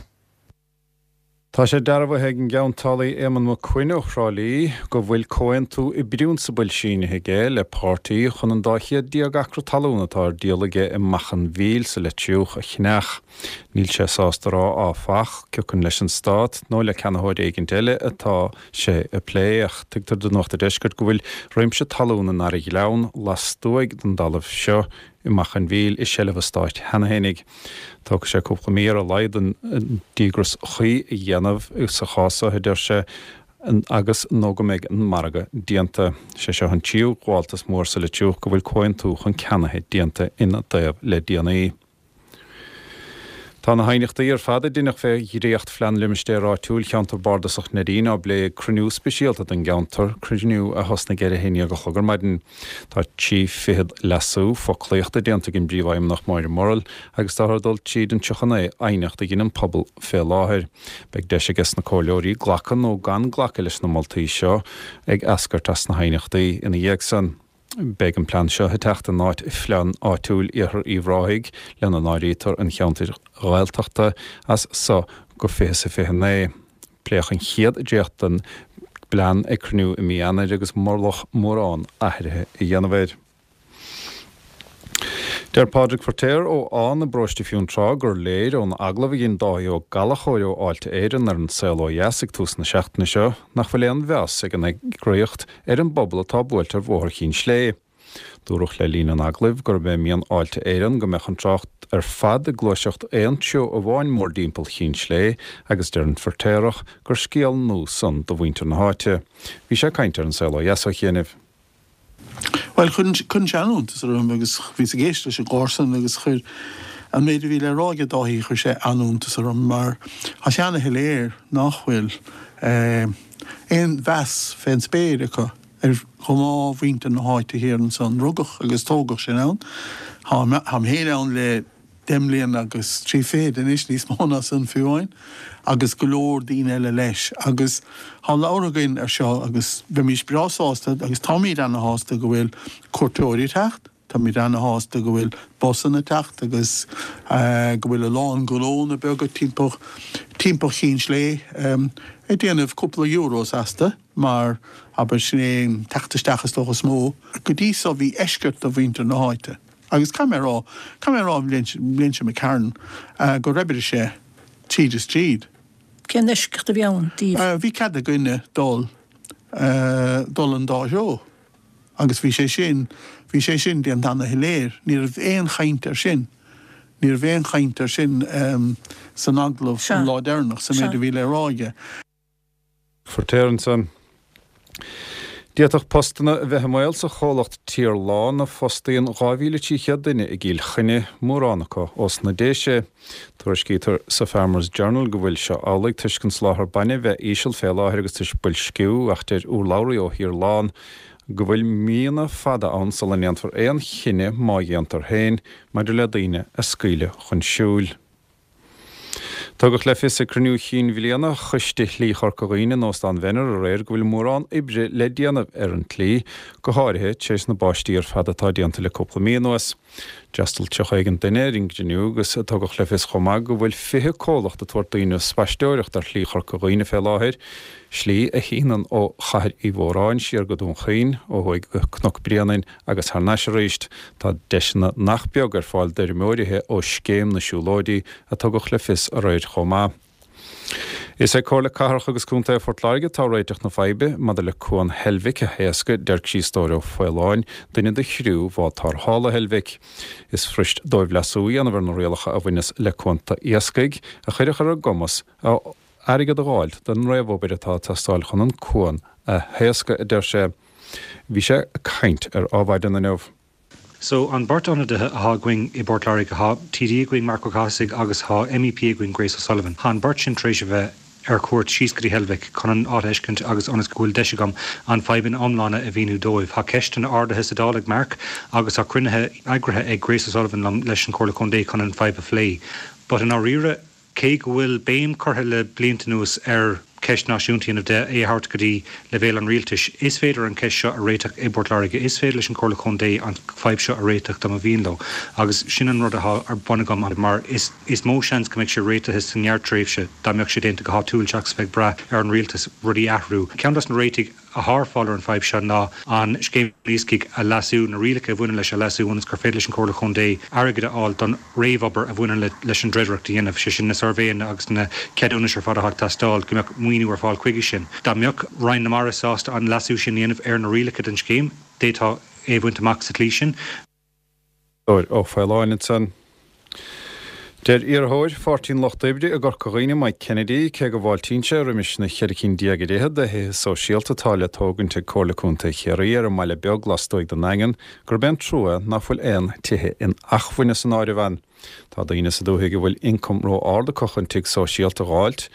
Tá sé dearbhaithe ag an gceantálaí Éamonn Mac Coinn ó Thrá Lí go bhfuil comhaontú i bprionsabal sínithe aige le páirtí chun an 12 chéad acra talún atá ar díol aige i Macha an Mhíl sa Leitriúch a cheannach. Níl sé sásta a rá, áfach, ciocan leis an Stát nó le ceannaitheoir éigint eile atá sé ag plé, ach tuigtear do Nuacht an Deiscirt go bhfuil réimse talún i nDara Ghleann lastuaidh den dtalamh seo i Macha an Mhíl i seilbh an Stáit cheana fhéinig. Tógfaidh sé cúpla mí ar a laghad an díograis chuí a dhéanamh sa chás seo, a deir sé, agus nó go mbeidh an margadh déanta. Sé seo an tríú gabháltas mór sa Leitriúch go bhfuil comhaontú chun ceannaithe déanta ina dtaobh le déanaí. Tá na haighneachtaí ar fad a deineadh fé dhréacht-Phlean Limistéir Áitiúil Cheantar Bardasach Neidín á bplé ag cruinniú speisialta don gceantar, cruinniú a thosnaigh ar a haon dhéag a chlog ar maidin. Tá trí fichead leasú foclaíochta déanta ag an bPríomhfheidhmeannach Máire Murrell agus táthar ag dul tríd an 39 aighneacht a dhein an pobal fé láthair. Beidh deis ages na comhairleoirí glacadh nó gan glacadh leis na moltaí seo ag eascairt as na haighneachtaí ina dhiaidh san. Beidh an plean seo ag teacht in áit Phlean Áitiúil Iarthar Uíbh Ráthaigh, lena n-áirítear an cheantair Ghaeltachta, as so go 2029. Pléadh an chéad dréacht den bplean ag cruinniú i mí Eanáir agus moladh mórán athruithe a dhéanamh air. Deir Pádraig Feiritéar ó Fhán i bparóiste Fionntrá gur léir ón agallamh a dhein Dáithí Ó Gallchóir ó Fháilte Éireann ar An Saol Ó Dheas ag tús na seachtaine seo nach bhfuil aon mheas ag an eagraíocht ar an bpobal atá buailte ar Bhóthar Chinn Slé. Dúradh le linn an agallaimh gurb é mian Fháilte Éireann go mbeadh an trácht ar fad ag gluaiseacht aon treo amháin mórdtimpeall Chinn Slé agus deir an Feirtéarach gur scéal nua san do mhuintir na háite. Bhí sé ag caint ar An Saol Ó Dheas ó chianaibh. Bhuel, cuireann sé an-iontas orm agus bhíos ag éisteacht leis an gclár san agus chuir an méid a bhí le rá aige Dáithí, chuir sé an-iontas orm mar tá sé ana-shoiléir nach bhfuil aon mheas fén spéir acu ar ghnáthmhuintir na háite thiar ansan. Rugadh agus tógadh sinn ann. Táim féin ann le 10 mbliana agus 30 fichid anois, níos mó ná san fiú amháin, agus go leor daoine eile leis. Agus tá labhartha againn ar seo agus bheimís breá sásta agus táimíd ana-shásta go bhfuil cuairteoirí ag teacht, táimíd ana-shásta go bhfuil busanna ag teacht agus go bhfuil a lán gnónna beaga timpeall timpeall Chinn Slé ag déanamh cúpla euros astu mar abair sin é an teacht isteach is dócha is mó. Go dtí so bhí eisceacht do mhuintir na háite. Agus caithfidh mé a rá, caithfidh mé a rá an bhliain seo imigh tharainn, gur oibrigh sé tríd is tríd. Cén eisceacht a bhí ann daoibh? Bhí cead ag duine dul, dul an dá threo. Agus bhí sé sin, bhí sé sin déanta ana-shoiléir. Ní raibh aon chaint air sin. Ní raibh aon chaint air sin san agallamh an lá deireanach, sa méid a bhí le rá aige. Feiritéar ansan. D'fhéadfadh postanna a bheith i mbaol sa chomhlacht Tirlán a fostaíonn 2,300 duine i gCill Chainnigh, mórán acu ós na Déise. Tuairiscítear sa Farmers Journal go bhfuil seo amhlaidh toisc an soláthar bainne bheith íseal fé láthair agus toisc boilsciú ach deir urlabhraí ó Thirlán go bhfuil míonna fada ann sula ndéanfar aon chinneadh, má dhéantar féin, maidir le daoine a scaoileadh chun siúil. Tugadh le fios ag cruinniú chinn bhliana Choiste Shlí Chorca Dhuibhne in Óstán Mhenner aréir go bhfuil mórán oibre le déanamh ar an tslí, go háirithe tar éis na báistí ar fad atá déanta le cúpla mí anuas. D'fhreastail 30 éigin duine ar an gcruinniú agus tugadh le fios chomh maith go bhfuil 20 comhlacht ag tabhairt daoine spaisteoireacht ar Shlí Chorca Dhuibhne fé láthair, slí a shíneann ó Chathair Uí Mhóráin siar go Dún Chaoin, ó thuaidh go Cnoc Bréanainn Agus thar n-ais arís, tá deiseanna nach beag ar fáil d'fheirmeoirithe ó Scéim na Siúlóidí a tugadh le fios aréir chomh maith. Is ag Comhairle Cathrach agus Contae Phort Láirge atá réiteach na faidhbe maidir le Cuan Heilbhic a thaoscadh, deir Críostóir Ó Faoláin, duine de chriú bhád tarrthála Heilbhic. Is fuirist dóibh leasú a dhéanamh ar na rialacha a bhaineas le cuanta iascaigh, a chuirfeadh ar a gcumas airgead a dh'fháilt don réamhobair atá ag teastáil chun an cuan a thaoscadh, a deir sé. Bhí sé ag caint ar Adhmhaidin inniu. So, an beirt ionadaithe athá againn i bPort Láirge, thá TD againn, Marc Ó Cathasaigh, agus thá MEP againn, Grace O'Sullivan. Thá an beirt sin tar éis a bheith ar cuairt síos go dtí Heilbhic chun an áit a fheiscint agus ionas go bhfuil deis agam an fadhb ina iomláine a mhíniú dóibh. Thá ceisteanna ardaithe sa Dáil ag Marc agus thá cruinnithe eagraithe ag Grace O'Sullivan liom leis an Chomhairle Contae chun an fadhb a phlé. But i ndáiríre, Cé go bhfuil béim curtha le blianta anuas ar cheist náisiúnta a dhéanamh de, é a thabhairt go dtí leibhéal an rialtais, is féidir an cheist seo a réiteach i bPort Láirge. Is féidir leis an Chomhairle Contae an fadhb seo a réiteach dá mba mhian leo. Agus sin an rud atá ar bun agam mar is is mó seans go mbeidh sé réitithe sa ngearrtréimhse dá mbeadh sé déanta go háitiúil seachas a bheith ag brath ar an rialtas rudaí a athrú. Ceann dos na réitigh athá ar fáil ar an fadhb seo ná an Scéim Iascaigh a leasú, na rialacha a bhaineann leis a leasú ionas gur féidir leis an Chomhairle Chontae airgead a fháil don réamhobair a bhaineann leis an dreidireacht a dhéanamh, sé sin na suirbhéanna agus na ceadúnais ar fad atá ag teastáil, go mbeadh maoiniú ar fáil chuige sin. Dá mbeadh Roinn na Mara sásta an leasú sin a dhéanamh ar na rialacha don scéim, d'fhéadfá é a bhaint amach sa tslí sin. Ó Faoláin ansan. Deir iarrthóir Pháirtí an Lucht Oibre i gCorca Dhuibhne, Mike Kennedy, cé go bhfáiltíonn sé roimis na cheithre cinn déag ar fhichead de thithe sóisialta atá le tógaint ag Comhairle Contae Chiarraí ar an mBaile Beag lastuaidh den nDaingean, gurb é an trua ná fuil aon tithe inacmhainne san áireamh ann. Tá daoine sa dúthaigh a bhfuil ioncam ró-ard acu chun tigh sóisialta a dh'fháilt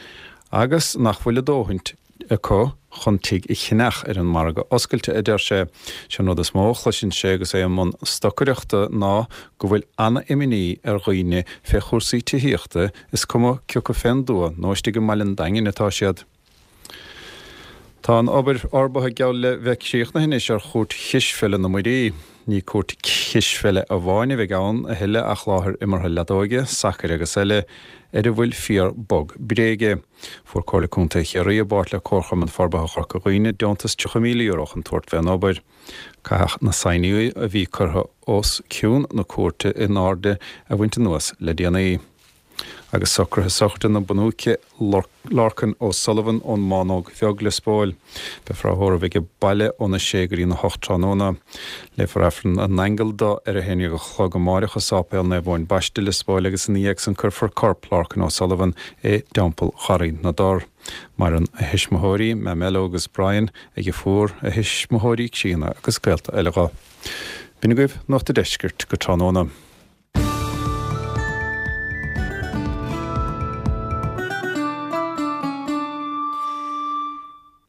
agus nach bhfuil a dóthaint acu chun tigh a cheannach ar an margadh oscailte, a deir sé. Sé an rud is mó a chloiseann sé agus é i mbun stocaireachta ná go bhfuil ana-imní ar dhaoine fé chúrsaí tithíochta, is cuma cioca fén dtuath nó istigh i mbaile an Daingin atá siad. Tá an obair fhorbartha geall le bheith críochnaithe anois ar chúirt chispheile na Muirí. Ní cúirt chispheile amháin a bheidh ann a thuilleadh ach láthair imeartha leadóige, sacair agus eile ar a bhfuil fíor bog bréige. Fuair Comhairle Contae Chiarraí i bpáirt le Comharchumann Forbartha Chorca Dhuibhne deontas €30,000 chun tabhairt fén obair. Caitheadh na saighní a bhí curtha os cionn na cúirte in airde a bhaint anuas le déanaí. Agus socruithe sochraide na bunúice Lorcan O'Sullivan ón mBánóg Bheag, Lios Póil. Beifear á thórramh aige baile óna sé go dtína hocht tráthnóna. Léifear Aifreann na nAingeal do ar a haon dhéag a chlog amáireach i Sáipéal Naomh Eoin Baiste, Lios Póil agus ina dhiaidh san cuirfear corp Lorcan O'Sullivan i dTeampall Gharraí na dTor. Maireann a thuismitheoirí, Mamelo agus Brian, a dheirfiúr, a thuismitheoirí críonna agus gaolta eile dho. B'in agaibh Nuacht a' Deiscirt go tráthnóna.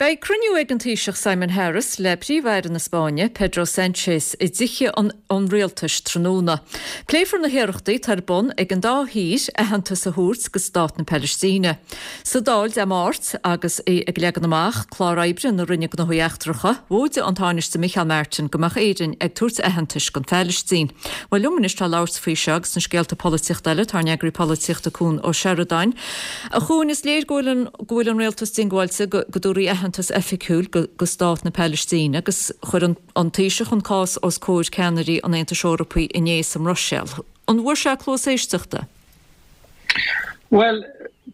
Beidh cruinniú ag an Taoiseach Simon Harris le Príomh-Aire na Spáinne, Pedro Sanchez, i dTithe an Rialtais tráthnóna. Pléifear na hiarrachtaí atá ar bun ag an dá thír aitheantas a thabhairt do stát na Palaistíne. Sa Dáil Dé Máirt, agus é ag leagan amach clár oibre na Roinne Gnóthaí Eachtracha, mhóidigh an Tánaiste Micheál Martin go mbeadh Éirinn ag tabhairt aitheantais don Phalaistín. Bhuel, liom anois le labhairt faoi seo agus na scéalta polaitíochta eile, tá ár n-eagraí polaitíochta Cuan Ó Seireadáin. A Chuain, is léir go bhfuil an go bhfuil an rialtas diongbháilte go go dtabharfaí aitheantas oifigiúil go go stát na Palaistíne agus chuir an an Taoiseach an cás os comhair ceannairí an Aontais Eorpaigh inné sa mBruiséil. An bhfuair sé cluas éisteachta? Bhuel,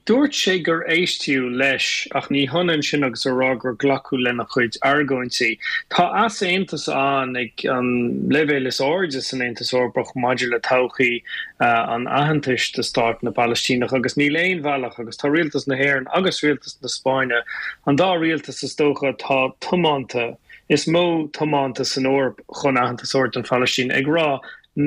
dúirt sé gur éisteadh leis, ach ní hionann sin agus a rá gur glacadh lena chuid argóintí. Tá easaontas ann ag an leibhéal is airde san Aontas Eorpach maidir le todhchaí an aitheantais do stát na bPalaistíneach agus níl aon bhealach, agus tá rialtas na hÉireann agus rialtas na Spáinne, an dá rialtas is dócha atá tiomanta, is mó tiomanta san Eoraip chun aitheantas a thabhairt don Phalaistín, ag rá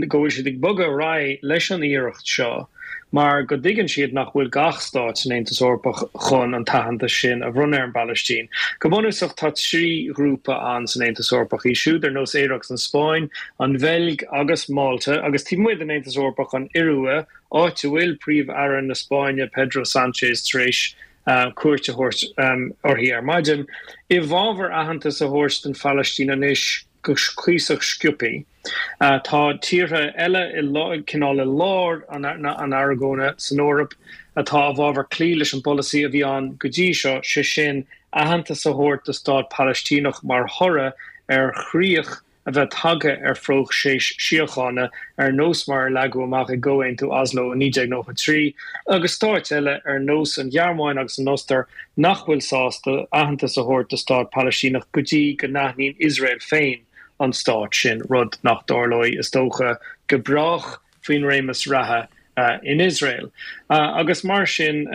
go bhfuil siad ag bogadh ar aghaidh leis an iarracht seo mar go dtuigeann siad nach bhfuil gach stát san Aontas Eorpach chun an t-aitheantas sin a bhronnadh ar an bPalaistín. Go bunúsach tá 3 ghrúpa ann san Aontas Eorpach, iad siúd ar nós Éire agus an Spáinn, an Bheilg agus Málta, agus taobh amuigh den Aontas Eorpach, an Iorua, áit a bhfuil Príomh-Aire na Spáinne Pedro Sánchez tar éis cuairt a thabhairt uirthi ar maidin, i bhfabhar aitheantas a thabhairt don Phalaistín anois go cuíosach sciobtha. Tá tíortha eile i cineál i lár an argóna san Eoraip atá i bhfabhar cloí leis an bpolasaí a bhí ann go dtí seo, sé sin, aitheantas a thabhairt do stát Palaistíneach mar thoradh ar chríoch a bheith tagtha ar phróiseas síochána ar nós mar a leagadh amach i gComhaontú Oslo i 1993, agus stáit eile ar nós an Ghearmáin agus an Ostair nach bhfuil sásta aitheantas a thabhairt do stát Palaistíneach go dtí go n-aithníonn Iosrael féin an stát sin, rud nach dtarlóidh, is dócha, go brách faoin réimeas reatha in Iosrael. Agus mar sin,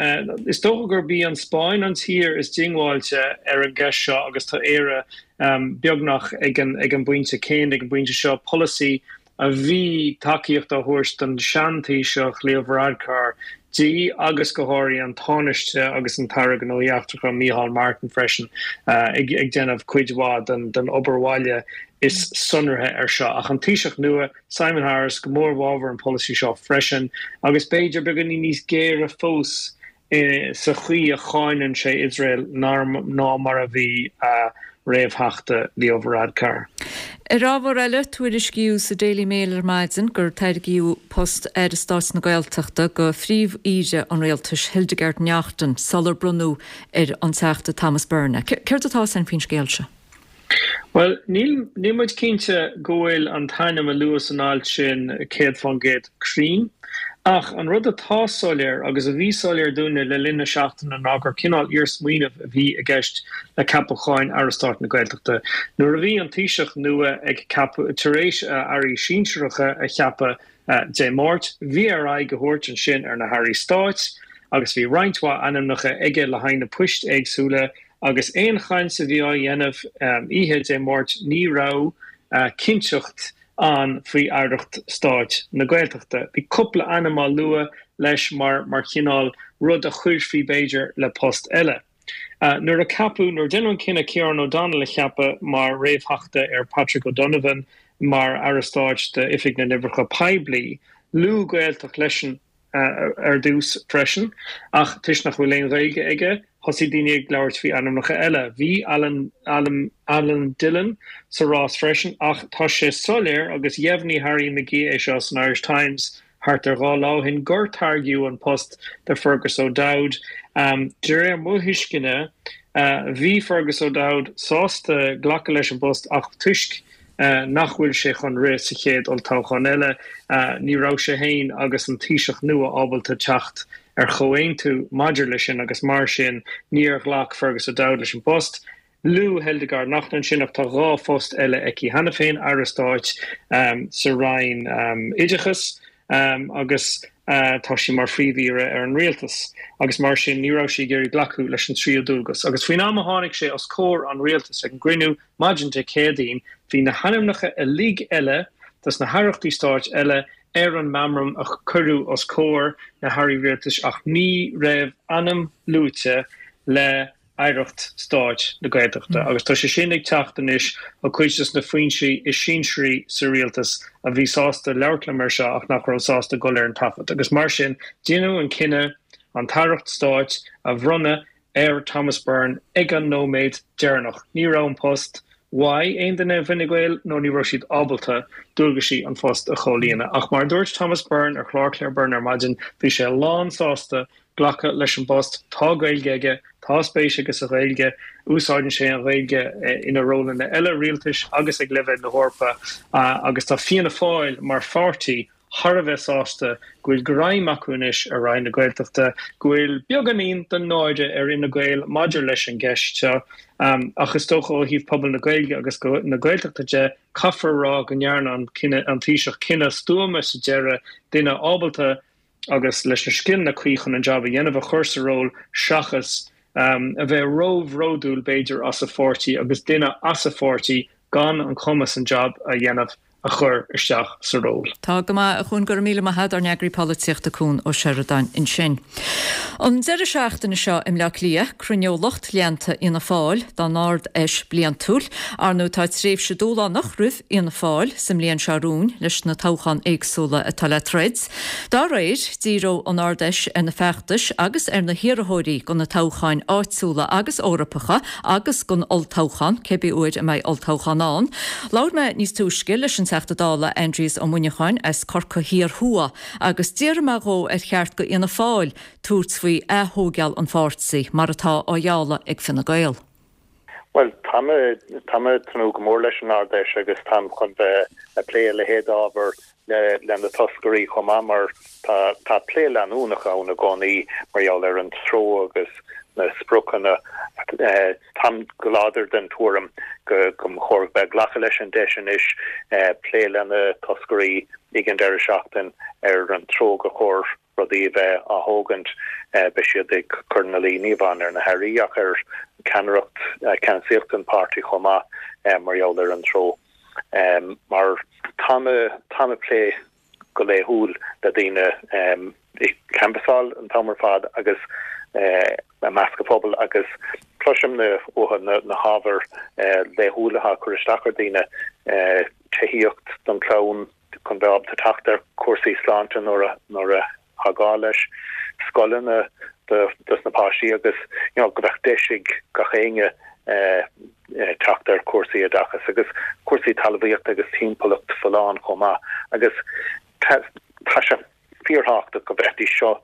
is dócha gurb í an Spáinn an tír is diongbháilte ar an gceist seo agus tá Éire beagnach ag an bpointe céanna, ag an bpointe seo, polasaí a bhí tacaíocht á thabhairt don sean-Taoiseach Leo Varadkar di agus go háirithe an Tánaiste agus an tAire Gnóthaí Eachtracha Micheál Martin freisin ag déanamh cuid mhaith den obair bhaile is sonraithe air seo. Ach an Taoiseach nua, Simon Harris, go mór i bhfabhar an pholasaí seo freisin agus b'fhéidir beagáinín níos géire fós sa chaoi a cháineann sé Iosrael ná mar a bhí a réamhtheachta Leo Varadkar. Ar ábhar eile, tuairiscíodh sa Daily Mail ar maidin gur tairgíodh post Aire Stáit na Gaeltachta do Phríomh-Aoire an Rialtais, Hildegarde Naughton, sular bronnadh ar an Teachta Thomas Byrne é. Céard atá ann faoin scéal seo? Bhuel, níl níl muid cinnte go bhfuil an t-ainm a luadh san alt sin 100% cruinn. Ach an rud atá soiléir, agus a bhí soiléir dúinne le linn na seachtaine, ná gur cineál iarsmaoineamh a bhí i gceist le ceapacháin Aire Stáit na Gaeltachta. Nuair a bhí an Taoiseach nua ag ceapadh, tar éis a airí sinsearacha a cheapadh Dé Máirt, bhí air aghaidh a thabhairt ansin ar na hairí stáit agus bhí roinnt mhaith ainmneacha aige le haghaidh na poist éagsúla, Agus aon chaint a bhí á dhéanamh oíche Dé Máirt ní raibh cinnteacht ann faoi aireacht stáit na Gaeltachta. Bhí cúpla ainm á lua leis mar mar chineál rud a chuirfí b'fhéidir le post eile. Nuair a ceapadh, nuair a deineadh an cinneadh Ciarán O'Donnell a cheapadh mar réamhtheachta ar Patrick O'Donovan mar Aire Stáit d'Oifig na nOibreacha Poiblí, luadh Gaeltacht leis an. ar dtús freisin, ach toisc nach bhfuil aon Ghaeilge aige, Thosaigh daoine ag labhairt faoi ainmneacha eile. Bhí Alan, Alan, Alan Dillon sa rás freisin ach tá sé soiléir, agus dheimhnigh Harry McGee é seo san Irish Times thart ar 2 lá ó shin, gur tairgeadh an post do Fergus O'Dowd. De réir mo thuisceana, bhí Fergus O'Dowd sásta glacadh leis an bpost ach toisc nach bhfuil sé chun rith sa chéad olltoghchán eile, ní raibh sé féin agus an Taoiseach nua ábalta teacht ar chomhaontú maidir leis sin agus mar sin níor ghlac Fergus O'Dowd leis an bpost. Luadh Hildegarde Naughton ansin ach tá 2 phost eile aici cheana féin, Aire Stáit sa Roinn Oideachais agus tá sí mar Phríomh-Aoire ar an Rialtas agus mar sin ní raibh sí ag iarraidh glacadh leis an tríú dualgas. Agus faoin am a tháinig sé os comhair an Rialtais ag an gcruinniú maidin Dé Céadaoin bhí na hainmneacha uilig eile dos na haireachtaí stáit eile ar an meamram a cuireadh os comhair na hairí rialtais ach ní raibh ainm luaite le Aireacht Stáit na Gaeltachta agus tá sé sin ag teacht anois ó cuid dos na foinsí is sinsearaí sa rialtas a bhí sásta labhairt liom ar seo ach nach raibh sásta dul ar an taifead agus mar sin deineadh an cinneadh an tAireacht Stáit a bhronnadh ar Thomas Byrne ag an nóiméad deireanach. Ní raibh an post uaidh aon duine i bhFine Gael nó ní raibh siad ábalta dualgaisí an phost a chomhlíonadh. Ach mar a dúirt Thomas Byrne ar chlár Claire Byrne ar maidin, bhí sé lán sásta glacadh leis an bpost. Tá Gaeilge aige, tá spéis aige sa Ghaeilge, úsáideann sé an Ghaeilge ina rólanna eile rialtais agus ag leibhéal na hEorpa agus tá Fianna Fáil mar pháirtí thar a bheith sásta go bhfuil greim acu anois ar Roinn na Gaeltachta, go bhfuil beagáinín den náire ar Fhine Gael maidir leis an gceist seo. Ach is dócha ó thaobh pobal na Gaeilge agus na Gaeltachta de, caithfear a rá go ndearna an Taoiseach cinneadh stuama sa deireadh, duine ábalta agus leis na scileanna cuí chun an jab a dhéanamh a chur sa ról seachas a bheith róbhródúil b'fhéidir as a pháirtí agus duine as a pháirtí gan an cumas an jab a dhéanamh a chur isteach sa ról. Tá go maith, a Chuan, go raibh míle maith agat, ár n-eagraí polaitíochta Cuan Ó Seireadáin ansin. An deireadh seachtaine seo i mBleá Cliath, cruinneoidh lucht leanta Fhianna Fáil dá n-Ard-Fheis bliantúil. Ar ndóigh tá tréimhse dúshlánach roimh Fhianna Fáil sa mbliain seo romhainn leis na toghcháin éagsúla atá le troid. Dá réir, díreoidh an Ard-Fheis ar na feachtais agus ar na hiarrthóirí do na toghcháin áitiúla agus Eorpacha agus don olltoghchán, cébí uair a mbeidh olltoghchán ann. Labhair mé níos túisce leis an Teachta Dála Aindrias Ó Muineacháin as Corcaigh Thiar Thuaidh agus d'fhiafraigh mé dhó ar cheart do Fhianna Fáil tabhairt faoi ath-thóigeáil an pháirtí, mar atá á ghealladh ag Fine Gael. Bhuel, táim, táim ag tnúth go mór leis an Ard-Fheis agus táim chun bheith ag plé a leithéid d'ábhar le, le na toscairí chomh maith mar tá, tá plé leanúnach ann i gcónaí mar gheall ar an treo agus na spriocanna. Táim go láidir den tuairim go, go mba chóir bheith ag glacadh leis an deis anois plé le na toscairí ag an deireadh seachtain ar an treo gur chóir rudaí a bheith á thógaint, beidh siad ag cur ina luí ní amháin ar na hairí ach ar cheannaireacht, ceannasaíocht an pháirtí chomh maith mar gheall ar an treo. Mar táim, táim ag plé go laethúil le daoine ag canbhasáil an t-am ar fad agus i measc an phobail agus cloisim uathu na hábhair laethúla atá ag cur isteach ar daoine, tithíocht don chlann, chun bheith ábalta teacht ar chúrsaí sláinte nuair a nuair atá gá leis, scoileanna do dos na páistí agus you know go mbeadh deis ag gach éinne teacht ar chúrsaí oideachais agus cúrsaí talmhaíochta agus timpeallacht folláin chomh maith agus tá tá sé fíorthábhachtach go mbeidís seo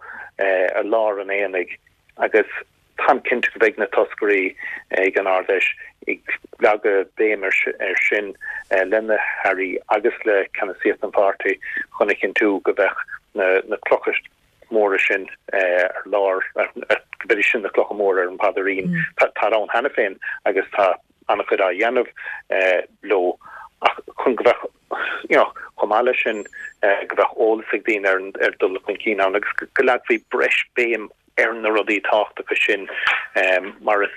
i lár an aonaigh agus Táim cinnte go mbeidh na toscairí ag an Ard-Fheis ag leagadh béim air sin le na hairí agus le ceannasaíocht an pháirtí chun a chinntiú go mbeadh na clocha móra sin ar lár, go mbeidís sin na clocha móra ar an bpaidrín. Tá ann cheana féin agus tá an-chuid á dhéanamh leo ach chun go mbeadh, you know, chomh maith leis sin, go mbeadh eolas ag daoine ar an dul chun cinn ann agus go leagfaí breis béim ar na rudaí tábhachtacha sin mar is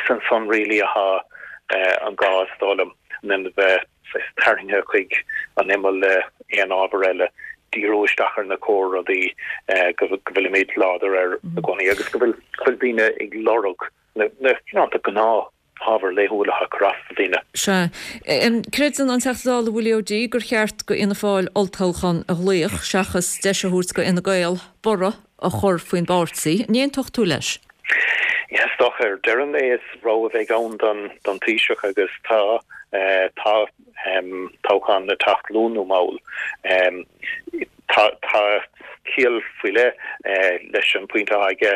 ansan really atá an gá is dóigh liom, in ionad a bheith tarraingthe chuig an imeall le aon ábhar eile, díriú isteach ar na cór-rudaí go bhfuilimid láidir air i gcónaí agus go bhfuil daoine ag lorg na gnáth ábhair laethúla atá ag cur as do dhaoine. Sea. Creideann an Teachta Dála Willie O'Dea gur cheart go Fhianna Fáil olltoghchán a ghlaoch seachas deis a thabhairt go Fhine Gael borradh a chur faoin bpáirtí. An aontódh tú leis? Yes. dócha ar deireadh an lae is rogha a bheidh ann don Taoiseach agus tá tá toghchán ag teacht luath nó mall. Tá tá ciall faoi leith leis an bpointe atá aige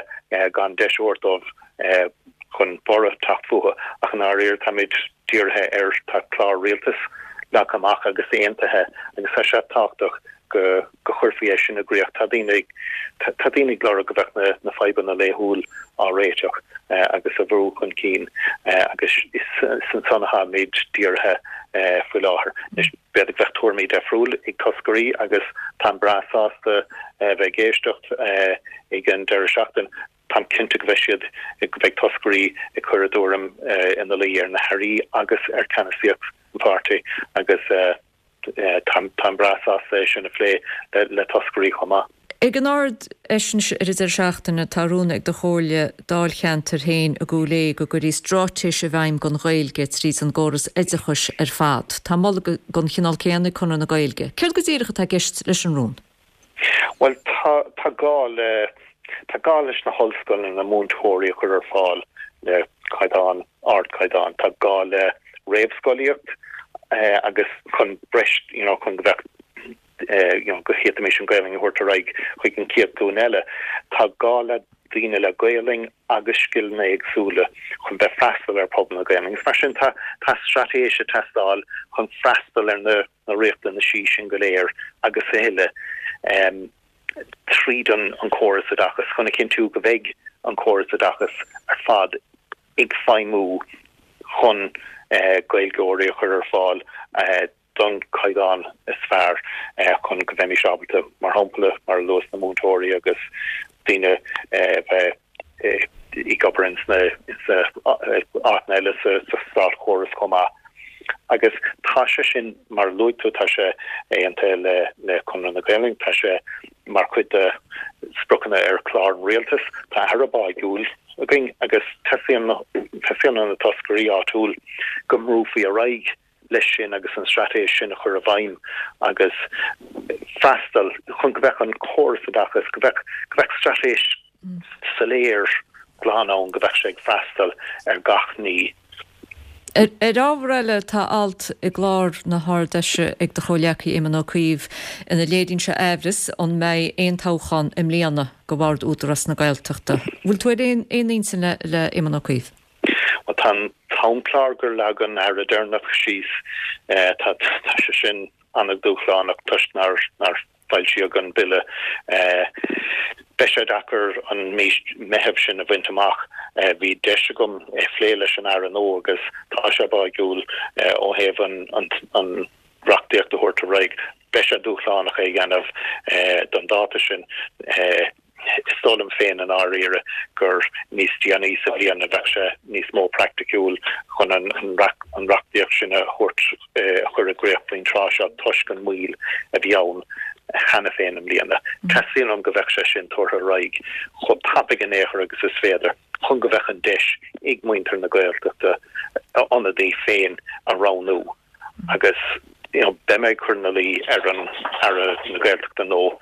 gan deis a thabhairt dóibh chun borradh teacht fúthu ach i ndáiríre táimid dírithe ar tá clár rialtais leagtha amach agus aontaithe agus tá sé tábhachtach go go chuirfí é sin i gcrích. Tá daoine ag tá daoine ag lorg go bheadh na na fadhbanna laethúil á réiteach agus á bhrú chun cinn agus is ansan atáimid dírithe faoi láthair. Anois b'fhéidir go bheadh tuairimí deifriúil ag toscairí agus táim breá sásta bheith ag éisteacht ag an deireadh seachtaine. Táim cinnte go bheidh siad, go mbeidh toscairí ag cur a dtuairim ina luí ar na hairí agus ar cheannasaíocht an pháirtí agus táim breá sásta é sin a phlé le toscairí chomh maith. Ag an Ard-Fheis ar an deireadh seachtaine tá rún ag do chomhairle dáilcheantair féin i gCúil Aodha go gcuirfí stráitéis i bhfeidhm don Ghaeilge tríd an gcóras oideachais ar fad. Tá moladh den chineál céanna ag Conradh na Gaeilge. Céard go díreach atá i gceist leis an rún? Bhuel, tá, tá gá le, tá gá leis na hollscoileanna múinteoirí a chur ar fáil le caighdeán, ardchaighdeán. Tá gá le réamhscolaíocht agus chun breis, you know, chun go bheadh, you know, go bhféadfaimis an Ghaelainn a thabhairt ar aghaidh chuig an chéad ghlúin eile. Tá gá le daoine le Gaelainn agus scileanna éagsúla chun bheith freastal ar phobal na Gaelainne. Agus mar sin tá, tá straitéis ag teastáil chun freastal ar na na riachtanaisí sin go léir agus a thuilleadh tríd an córas oideachais chun a chinntiú go mbeidh an córas oideachais ar fad ag feidhmiú chun Gaeilgeoirí a chur ar fáil don chaighdeán is fearr chun go mbeimis ábalta, mar shampla, mar a luas, na múinteoirí agus daoine a bheith ag obair ins na áiteanna eile sa státchóras chomh maith. Agus tá sé sin, mar a luaigh tú, tá sé aontaithe le le Conradh na Gaelainne, tá sé mar chuid de spriocanna ar chlár an rialtais. Tá Aire báigiúil againn agus teastaíonn teastaíonn ó na toscairí áitiúil go mbrúfaí ar aghaidh leis sin agus an straitéis sin a chur i bhfeidhm agus freastal chun go mbeadh an córas oideachais, go mbeadh, go mbeadh straitéis soiléir glan ann, go mbeadh sé ag freastal ar gach ní. Ar ábhar eile, tá alt i gclár na hArd-Fheise ag do chomhghleacaí Éamon Ó Cuív ina léiríonn sé aimhreas an mbeidh aon toghchán i mbliana do Bhord Údarás na Gaeltachta. Bhfuil tú ar aon intinn le Éamon Ó Cuív? Bhuel, tá an t-amchlár gur leag an Aire deireanach síos, tá sé sin an-dúshlánach toisc nár foilsíodh an Bille. Beidh sé deacair an mí Meitheamh sin a bhaint amach. Bhí deis agam é a phlé leis an Aire nua agus tá sé báigiúil ó thaobh an reachtaíocht a thabhairt ar aghaidh. Beidh sé dúshlánach é a dhéanamh don dáta sin. Is dóigh liom féin i ndáiríre gur níos déanaí sa bhliain a bheadh sé níos mó praiticiúil chun an reachtaíocht sin a thabhairt, a chur i gcrích faoin tráth seo toisc an mhoill a bhí ann cheana féin i mbliana. Teastaíonn uaim go mbeadh sé sin tabhartha ar aghaidh chomh tapaidh in aon chor agus is féidir chun go mbeadh an deis ag muintir na Gaeltachta a n-ionadaí féin a roghnú. Agus you know beidh mé ag cur ina luí ar an Aire na Gaeltachta nua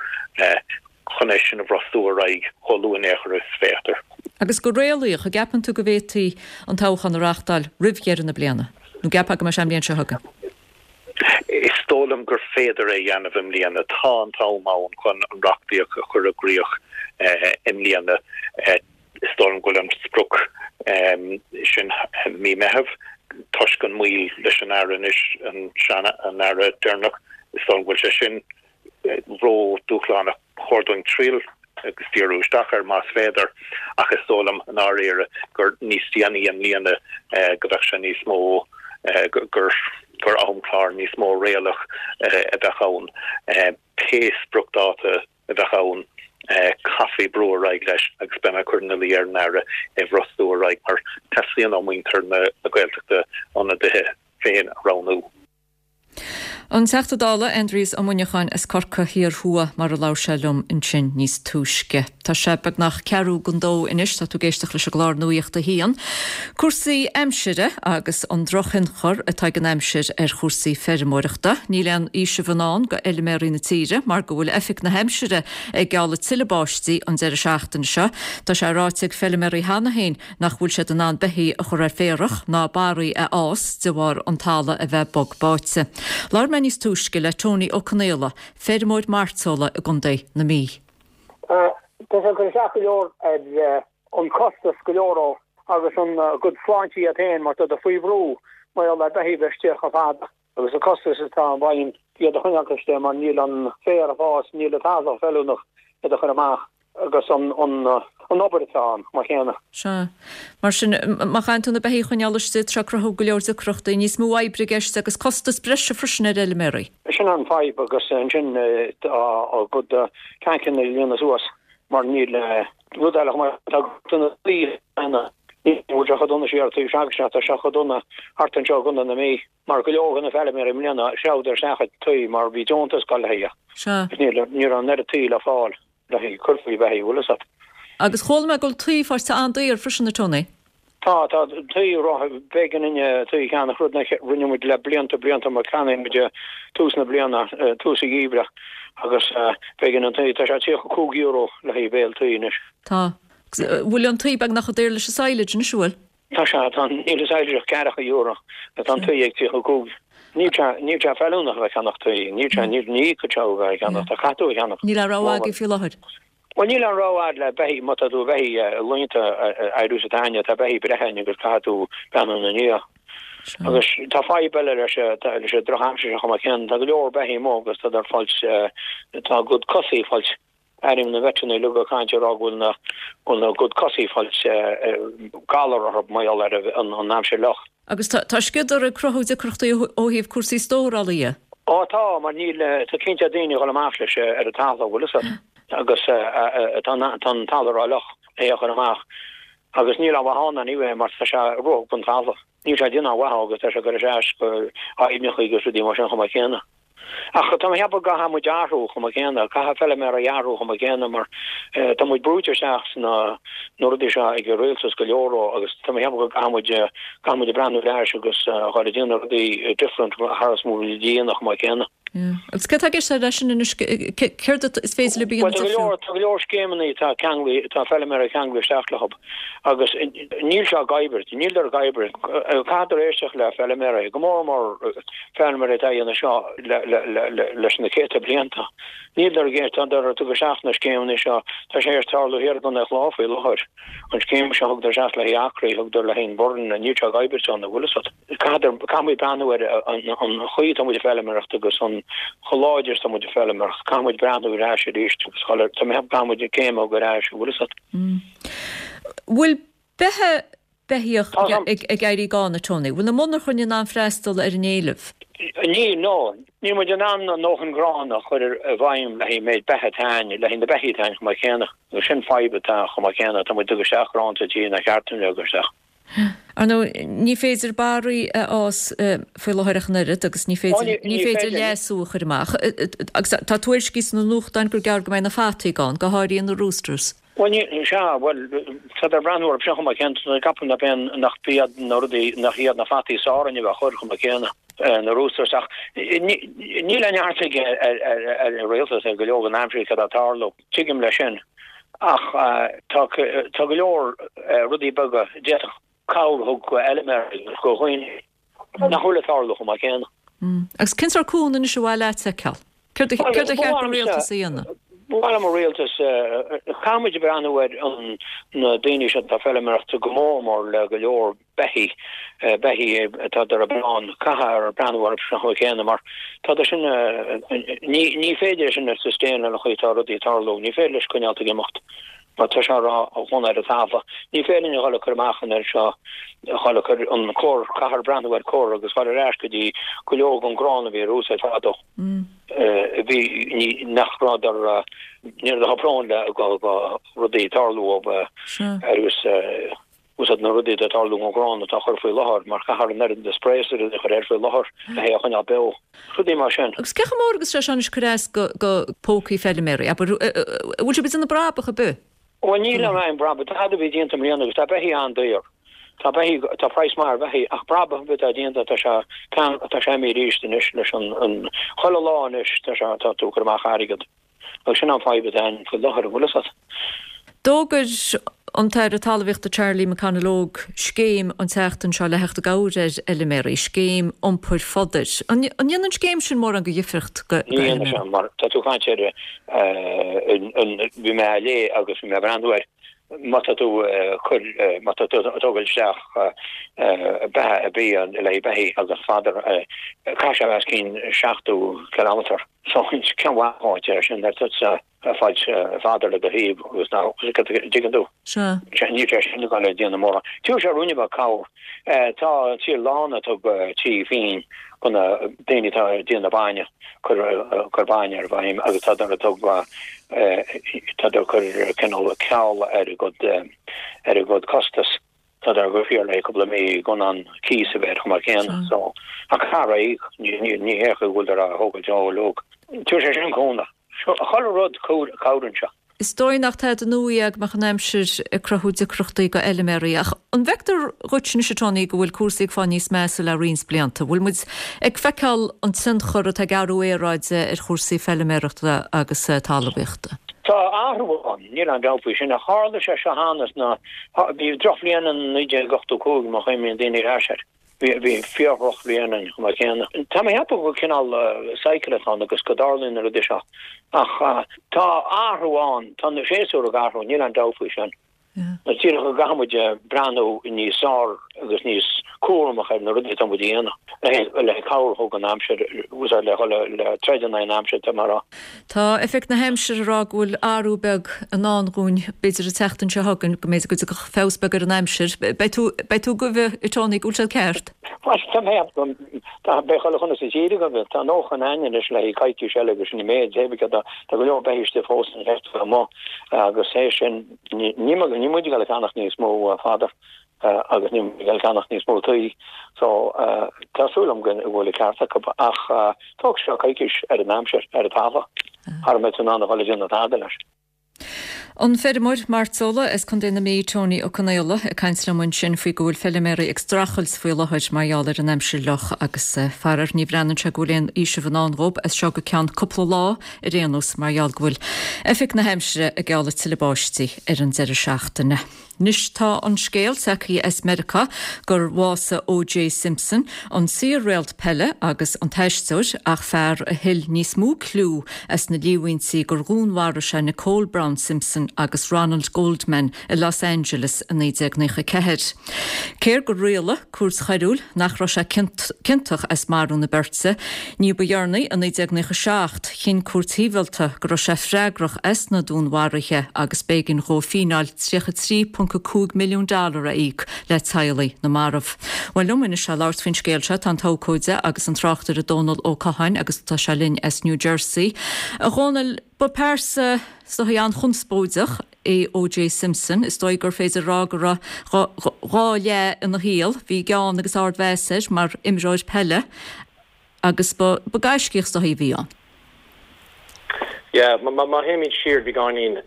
chun é sin a bhrostú ar aghaidh chomh luath in aon chor is féidir. Agus go réalaíoch, an gceapann tú go bhféadfaí an toghchán a reáchtáil roimh dheireadh na bliana? Nó an gceapfá go mbeidh sé an bhliain seo chugainn? Is dóigh liom gur féidir é a dhéanamh i mbliana. Tá an t-am ann chun an reachtaíocht a chur i gcrích i mbliana. Is dóigh liom go bhfuil an sprioc sin mí Meitheamh, toisc an moill leis an Aire anois, an sean, an Aire deireanach, is dóigh liom go bhfuil sé sin ró-dúshlánach. Ba chóir dúinn triail agus díriú isteach air más féidir, ach is dóigh liom i ndáiríre gur níos déanaí i mbliana go bheadh sé níos mó, gur gur amchlár níos mó réalaíoch a bheadh ann. Pé spriocdháta a bheadh ann, caithfí brú ar aghaidh leis agus beidh mé ag cur ina luí ar an Aire é a bhrostú ar aghaidh mar teastaíonn ó mhuintir na Gaeltachta a n-ionadaithe féin a roghnú. An Teachta Dála Aindrias Ó Muineacháin as Corcaigh Thiar Thuaidh mar a labhair sé liom ansin níos túisce. Tá sé beagnach ceathrú don dó anois, tá tú ag éisteacht leis an gclár Nuacht a hAon. Cúrsaí aimsire agus an drochthionchar atá ag an aimsir ar chúrsaí feirmeoireachta. Níl aon fhaoiseamh i ndán go fheilméaraí na tíre mar go bhfuil Oifig na hAimsire ag gealladh tuilleadh báistí an deireadh seachtaine seo. Tá sé ráite ag feilméaraí cheana féin nach bhfuil siad in ann beithígh a chur ar féarach ná barraí a fhás de bharr an talamh a bheith bog báite. Labhair mé níos túisce le Tony Ó Conaola, feirmeoir mairteola i gContae na Mí. Tá sé ag cur isteach go leor ar an costas go leor ó agus an gcuid sláinte iad féin mar tá siad faoi bhrú mar gheall ar beithígh bheith istigh chomh fada. Agus an costas atá i bhfeidhm iad a choinneáil istigh mar níl an féar ag fás, níl an talamh feiliúnach iad a chur amach agus an obair atá ann mar chéanna. Sea. Mar sin, má chaitheann tú na beithígh a choinneáil istigh, tá sé ag cruthú go leor deacrachtaí, níos mó oibre i gceist agus costas breise freisin ar fheilméaraí. Sin an fadhb agus ansin tá a gcuid tancanna ag líonadh suas mar níl rud eile chomh maith, tá na daoine, ní bhfuil sé chomh dona siar taobh s'againne, tá sé chomh dona thart anseo i gContae na Mí. Mar go leor de na feilméaraí i mbliana threabhadar isteach ag tuí mar bhí deontas ag dul le haghaidh Sea. agus ní ní raibh an oiread tuí le fáil le haghaidh cur faoi bheithígh, bhfuil fhios a't. Agus chuala mé go bhfuil tuí faighte an-daor freisin, a Tony. Tá, tá tuí ró, b'éigean dúinne tuí a cheannach, rud nach rinne muid le blianta blianta mar cheannaigh muid tús na bliana, tús an gheimhridh agus b'éigean an tuí, tá sé €35 le haghaidh béal tuí anois. Tá. Bhfuil an tuí beagnach chomh daor leis an silage anois, an bhfuil? Tá sé, tá, níl an silage ach ceathracha euro, tá an tuí ag 35. Níl sé, níl sé feiliúnach a bheith ag ceannach tuí, níl sé, níl, ní íocfadh sé a bheith ag ceannach, tá caithfidh tú a cheannach. Níl aon rogha agaibh faoi láthair. Bhuel, níl aon rogha a'd le beithígh, má tá tú beithígh laethanta éiriú sa taine, tá beithígh breithe a'inn agus caithfidh tú breathnú ina ndiaidh. Agus tá fadhb eile leis, leis an drochaimsir seo chomh maith céanna, tá go leor beithígh amuigh agus tá ag fáilt, tá a gcuid cosaí ag fáilt Airím na veiterannaí uilig ag caint ag rá go bhfuil na bhfuil a gcuid cosaí ag fáilt galar orthu mar gheall ar an aimsir fhliuch. Agus tá sciodar ag cruthú deacrachtaí ó thaobh cúrsaí stórála dhe. Ó tá, mar níl, tá cinnte daoine ag dhul amach leis ar an talamh, bhfuil fhios a't, agus tá an talamh rófhliuch é a chur amach agus níl aon mhaith ann anyway mar tá sé ruathadh den talamh. Níl sé ag déanamh aon mhaith agus tá sé ag cur isteach go aibhneacha agus rudaí mar sin chomh maith céanna. Ach tá mé ag ceapadh go gcaithfidh muid athrú chomh maith céanna, caithfidh feilméaraí athrú chomh maith céanna mar tá muid brúite isteach sna na rudaí seo ag an rialtas go leor agus tá mé ag ceapadh go gcaithfidh muid caithfidh muid breathnú ar ais agus a dhul ag déanamh rudaí different thar is mar a déanadh chomh maith céanna. Yeah. Agus céard atá i gceist leis sin anois, céard is féidir libh a dhéanamh Bhuel tá go leor, tá go leor scéimeanna atá ceanglaithe, tá feilméaraí ceanglaithe isteach leo. Agus níl sé ag oibriú, níl ag oibriú. Caithfear éisteacht le feilméaraí, go mór mór feilméaraí atá ag déanamh seo leis na céadta blianta. Níl ag éisteacht, tá ag tabhairt isteach na scéimeanna seo, tá sé ag tarlú thiar i gContae an Chláir faoi láthair. An scéim seo a thugtar isteach le haghaidh acraí, a thugtar le haghaidh an Burren, níl sé ag oibriú ann, an bhfuil fhios a't. Caithfear, caithfidh muid breathnú ar an chaoi atá muid ag feilméaracht agus an chomh láidir is atá muid ag feilméaracht. Caithfidh muid breathnú ar ais arís agus tá mé ag ceapadh caithfidh muid céim a thógáil ar ais, an bhfuil fhios a't. Bhfuil beithe, beithíoch ag éirí gann, a Tony? Bhfuil na monarchain in ann freastal ar an éileamh? Níl, no. Níl muid in ann a ndóthain grán a chur i bhfeidhm le haghaidh an méid beithe atá a'inn, le haghaidh na beithígh atá a'inn chomh maith céanna. Agus sin fadhb atá chomh maith céanna. Tá muid ag tabhairt isteach grán sa tír nár cheart dúinn a thug isteach. Ar ndóigh, ní féidir barraí a fhás faoi láthair ach an oiread agus ní féidir, ní féidir leasú a chur amach. Agus tá tuairiscí sna nuachtáin gur gearr go mbeidh na fataí gann, go háirithe na roosters. Bhuel, ní, sea, bhuel, tá ag breathnú orthu sin chomh maith céanna, ceapaim nach aon, nach iad na rudaí, nach iad na fataí is fearr inniu a chur chomh maith céanna, na roosters, ach ní, níl aon neart ag, ar, ar, ar an rialtas ar go leor den aimsir cad atá ag tarlú. Tuigim leis sin, ach tá tá go leor rudaí beaga a d'fhéadfadh cabhair a thug go fheilméaraí agus go dhaoine nach bhfuil ag tarlú chomh maith céanna. Agus cén sórt cúnamh anois ar mhaith leat a fheiceáil? Céard a céard a cheart don rialtas a dhéanamh? Ba mhaith liom an rialtas, caithfidh muid breathnú ar an na daoine seo atá ag feilméaracht go mór mór le go leor beithígh, beithígh atá ar an bplean, caithfear breathnú orthu sin chomh céanna mar tá sin, ní, ní féidir é sin a sustain lena chaoi atá rudaí ag tarlú, ní féidir leis coinneáilt ag imeacht mar tá sé ródhona ar an talamh. Ní féidir linn a dhul ag cur amach an oiread seo, a dhul ag cur an cur, caithfear breathnú ar cur agus dhul ar ais go dtí go leor den grán a bhí ar úsáid fadó. A bhí, ní, nach rabhadar, ní raibh prone le go, go rudaí tarlú ó, ar Úsáid na rudaí atá ag tarlú an ghrán atá á chur faoi láthair mar caithfear an oiread de spray is rudaí a chur air faoi láthair le hé a choinneáil beo. Rudaí mar sin. Agus cé chomh mór agus sé seo anois ag cur as go pócaí feiliméaraí, abair, an bhfuil sibh ag déanamh brabach ar bith? Bhuel níl aon brabach, tada a bhí déanta i mbliana agus tá beithígh an-daor. Tá beithígh, tá praghas maith ar bheithígh ach brabach ar bith atá déanta tá sé, tá sé imithe arís anois leis an, an, chuile lá anois tá sé, tá tú ag cur amach airgead. Agus sin an fadhb atá ann faoi láthair, an bhfuil fhios a't. D'fhógair an tAire Talmhaíochta Charlie McConalogue scéim an tseachtain seo le theacht i gcabhair ar fheiliméaraí, scéim iompair fodair. An ndéanann an scéim sin mórán de dhifriocht go Ní dhéanann sé, mar tá tú ag caint ar an, bhí mé á léamh agus bhí mé ag breathnú air, má tá tú ag cur, má tá tú ag tógáil isteach beatha ar bith le haghaidh beithígh agus fodar, caithfidh sé a bheith os cionn 70 kilometre. So cén mhaith dhuit é sin ar tusa ag fáilt fodar le do thaobh agus ná dtuigeann tú? Sea. Níl sé sin ag dul ag déanamh mórán. Tabharfaidh sé ruainne beag cabhair. Tá an tír lán ag tug tí féin do na daoine atá ag déanamh bainne, cur cur bainne ar bhfeidhm agus tá ag tug tá ag cur cineál ceal ar a gcuid ar a gcuid costas. Tá go fíor le cúpla mí gan an cíos a bheith chomh maith céanna so ach thar aghaidh ní ní hé go bhfuil á thógáil deo uilig. Tabharfaidh sé sin cúnamh. Chuile rud cabhraíonn sé. Is dóigh nach tada nua é go mbeadh an aimsir ag cruthú deacrachtaí go fheiliméaraí ach an bhfeictear dhuit anois a Tony go bhfuil cúrsaí ag fáil níos measa le roinnt blianta? Bhfuil muid ag feiceáil an tionchar atá ag athrú aeráide ar chúrsaí feiliméarachta agus talmhaíochta? Tá athrú ann. Níl aon dabht faoi sin. Ach tharla sé seo cheana sna, bhí drochbhliain in 1985 má chuimhníonn daoine ar ais air. Bhí, bhí fíor-dhrochbhliain ann chomh maith céanna. Tá mé ag ceapadh gur cineál cycle atá ann agus go dtarlaíonn na rudaí seo. Ach tá athrú ann, tá na séasúir ag athrú, níl aon dabht faoi sin. Is díreach go gcaithfidh muid breathnú níos fearr agus níos cúramach ar na rudaí atá muid a dhéanamh le cabhair a thug an aimsir, úsáid le dhul le troid in aghaidh an aimsir, tá mé a rá. Tá Oifig na hAimsire ag rá go bhfuil athrú beag i ndán dhúinn, b'fhéidir an tseachtain seo chugainn, go mb'fhéidir go dtiocfadh feabhas beag ar an aimsir. Beidh tú, beidh tú ag gabh, a Tony, go bhfuil siad ceart? Bhuel, tá mé, tá, beidh chuile dhuine sa tír ag gabh. Tá 90 againn anois le haghaidh coicís eile agus sin an méid, tá go leor beithígh istigh fós an cheart amuigh agus é sin, Níl muid ag dul ag ceannach níos mó fodar agus níl muid ag dul ag ceannach níos mó tuí so tá súil agam go bhfuil an ceart acu ach tógfaidh sé coicís ar an aimsir ar an talamh sara mbeidh tú in ann a dhul ag déanamh tada leis. An feirmeoir mairteola as Contae na Mí, Tony Ó Conaola, ag caint liom ansin faoi go bhfuil feiliméaraí ag streachailt faoi láthair mar gheall ar an aimsir fhliuch agus faraor ní bhreathnaíonn sé go bhfuil aon fhaoiseamh i ndán dhób as seo go ceann cúpla lá. Ar aon nós, mar gheall go bhfuil Oifig na hAimsire ag gealladh tuilleadh báistí ar an deireadh seachtaine. Anois tá an scéal tagtha as Meiriceá gur bhásaigh O.J. Simpson, an saor-réalt peile agus an t-aisteoir, ach fear a thuill níos mó cliú as na líomhaintí gur dhúnmharaigh sé Nicole Brown Simpson agus Ronald Goldman i Los Angeles i 1994. Cé gur rialaigh cúirt choiriúil nach raibh sé ciontach as marú na beirte, Ní ba dheireanaí, i 1997, chinn cúirt shibhialta go raibh sé freagrach as na dúnmharuithe agus b'éigean dhó fíneáil 33.5 milliún dollar a íoc le teaghlaigh na marbh. Bhuel, liom anois le labhairt faoin scéal seo tá an t-abhcóide agus an tráchtaire Dónal Ó Catháin agus tá sé linn as New Jersey. A Dhónaill, ba pearsa is dóigh an-chonspóideach é O.J. Simpson. Is dóigh gur féidir a rá go raibh dhá leath ina shaol. Bhí gean agus ardmheas air mar imreoir peile agus ba gaiscíoch is dóigh a bhí ann. Yeah, má théimid siar beagáinín